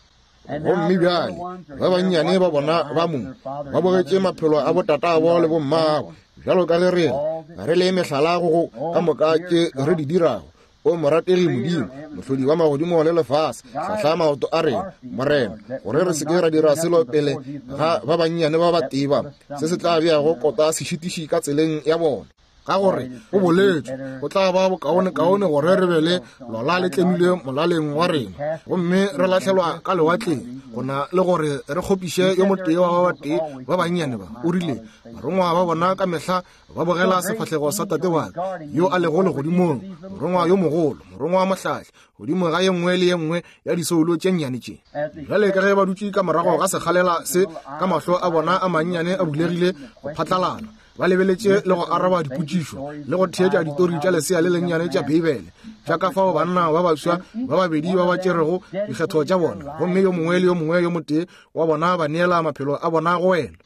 Gomme bjale ba bannyane ba bona ba mo ba bogetše maphelo a botatabo le bommagwe, bjalo ka ge rena re le mehlala go ka moka tše re di dirago. O morategi Modimo, mohlodi wa magodimo le lefase, hlahla maoto a rena, Morena, gore re se ke ra dira selo pele ga ba bannyane ba ba teba, se se tla beago kota sešitiši ka tseleng ya bona. Ka gore o boletše, go tla ba bokaonekaone gore re be le lola le tlemilwe molaleng wa rena, gomme re lahlelwa ka lewatleng, gona le gore re kgopiše yo motee wa ba batee ba bannyane ba. O rile, barongwa ba bona ka mehla ba bogela sefahlego sa tate wa ka yo a lego legodimong, morongwa yo mogolo, morongwa wa mohlahli, godimo ga ye nngwe le ye nngwe ya disoulo tše nnyane tše. Bjale ka ge ba dutše ka morago ga sekgalela se, ka mahlo a bona a mannyane a bulegile go phatlalala, ba lebeletše le go araba dipotšišo le go theetša ditori tša lesea le lennyane tša Beibele, tša ka fao banna ba baswa ba babedi ba ba tšerego dikgetho tša bona, gomme yo mongwe le yo mongwe yo motee wa bona ba neela maphelo a bona go wena.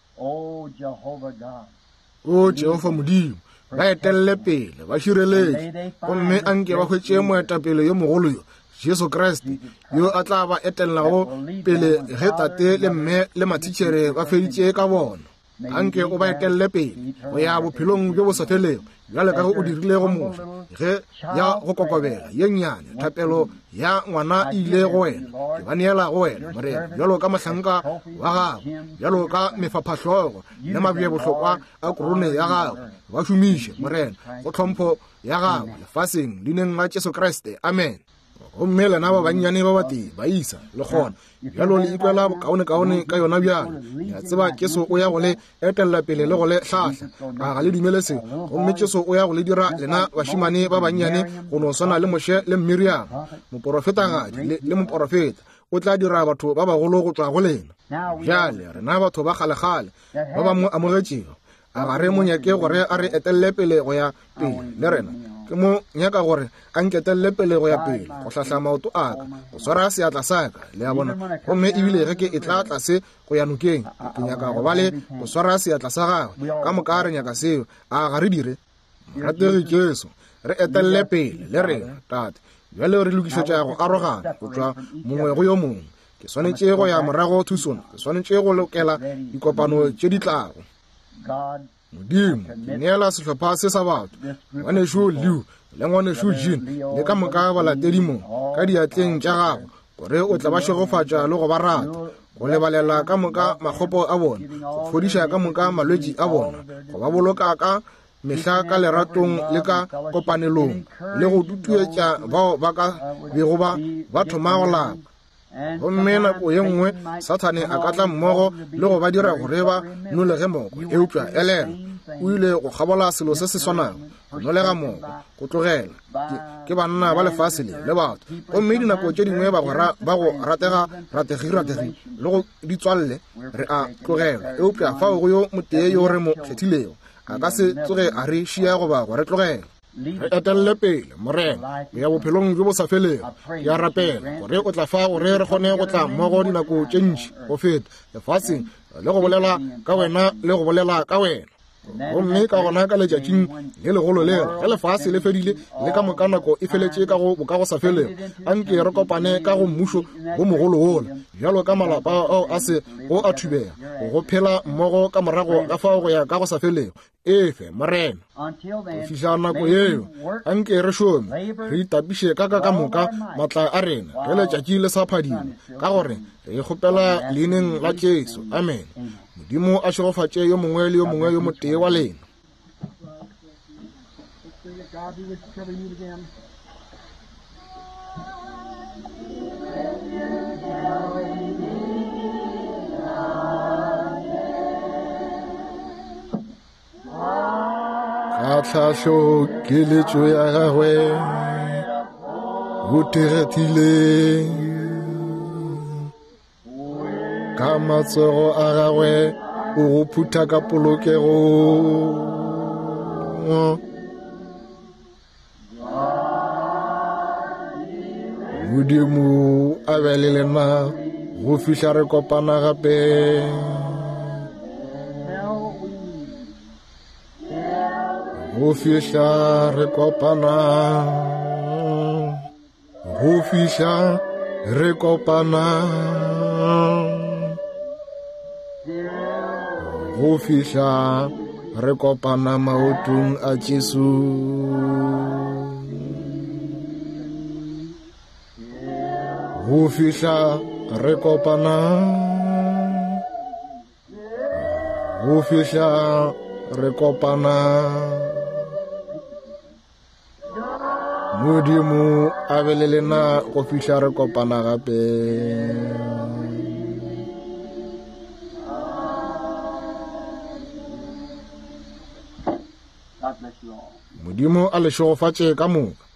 O Jehofa Modimo, ba etelle pele, ba šireletše, gomme anke ba hwetše moetapele yo mogolo yo, Jesu Kriste, yo a tla ba etellago pele ge tate le mme le mathitšhere ba feditše ka bona. Anke o ba etelle pele go ya bophelong bjo bo sa felego, bjale ka ge o dirile go Moshe ge ya go kokobela ye nnyane thapelo ya ngwana e ile go wena. Ke ba neela go wena, Morena, bjalo ka mohlanka wa gago, bjalo ka mefaphahlogo le mabjebohlokwa a korone ya gago. Ba šomiše, Morena, go tlhompho ya gago lefaseng, leineng la Jesu Kriste. Amen. Gomme lena ba bannyane ba batee baisa le kgona bjalo le ikwela bokaonekaone ka yona bjalo. Le a tseba Jesu o ya go le etella pele le go le hlahla. A ga le dumele seo? Gomme Jesu o ya go le dira lena bašemane ba bannyane go no swana le Moshe le Miriam, moporofetagadi le, le moporofeta. O tla dira batho ba bagolo go tšwa go lena. Bjale rena batho ba kgalekgale ba ba mo amogetšego, a ga re mo nyake gore a re etelle pele go ya pele le rena? Ke mo nyaka gore a nketelle pele go ya pele, go hlahla maoto a ka, go swara seatla sa ka, le a bona. Gomme ebile ge ke e tla tlase go ya nokeng, ke nyaka go ba le go swara seatla sa gagwe. Ka moka re nyaka seo, a ga re dire? Morategi Jesu, re etelle pele le rena, Tate. Bjale re lokišetša go arogana go tšwa mongwe go yo mongwe. Ke swanetše go ya morago Tucson, ke swanetše go lokela dikopano tše di tlago. Modimo, ke neela sehlopha se sa batho, ngwanešu Lew le ngwanešu Jean le ka moka balatedi mo ka diatleng tša gago, gore o tla ba šegofatša le go ba rata, go lebalela ka moka makgopo a bona, go fodiša ka moka malwetši a bona, go ba boloka ka mehla ka leratong le ka kopanelong, le go tutuetša bao ba ka bego ba ba thoma go lapa. Gomme nako ye nngwe Sathane a ka tla mmogo le go ba dira gore ba nolege moko, eupša elelwa, o ile go kgabola selo se se swanago, go nolega moko, go tlogela ke, ke banna ba lefase le le batho. Gomme dinako tše dingwe bagwera ba go ratega rategi rategi le go ditswalle re a tlogelwa, eupša fao go yo motee yo re mo kgethilego, a ka se tsoge a re šia goba go re tlogela. Re etelle pele, Morena, go ya bophelong bjo bo sa felego. Ke a rapela gore o tla fa gore re kgone go tla mmogo dinako tše ntši go feta lefaseng, le go bolela ka wena le go bolela ka wena. Gomme ka gona ka letšatšing le legolo lela, ge lefase le fedile le ka moka nako e feletše ka go boka go sa felego, anke re kopane ka go mmušo wo mogolo wola, bjalo ka malapa ao a se go a thubega, go phela mmogo ka morago ga fao go ya ka go sa felego. Efe, Morena. Go fihla nako yeo, anke re šome, re itapiše ka ka ka moka matla a rena ge letšatši le sa phadima, ka gore re e kgopela leineng la Jesu. Amen. Modimo a šegofatše yo mongwe le yo mongwe yo motee wa lena. God be with you till we meet again. Ka tlhahlo keletšo ya gagwe o thekgile, ka matsogo a gagwe o go phutha ka polokego. Modimo a be le lena go fihla re kopana gape. Go fihla re kopana, go fihla re kopana, go fihla re kopana maotong a Jesu. Go fihla re kopana, go fihla re kopana. Modimo a be le lena go fihla re kopana gape. God bless you all. Modimo a le šegofatše ka moka.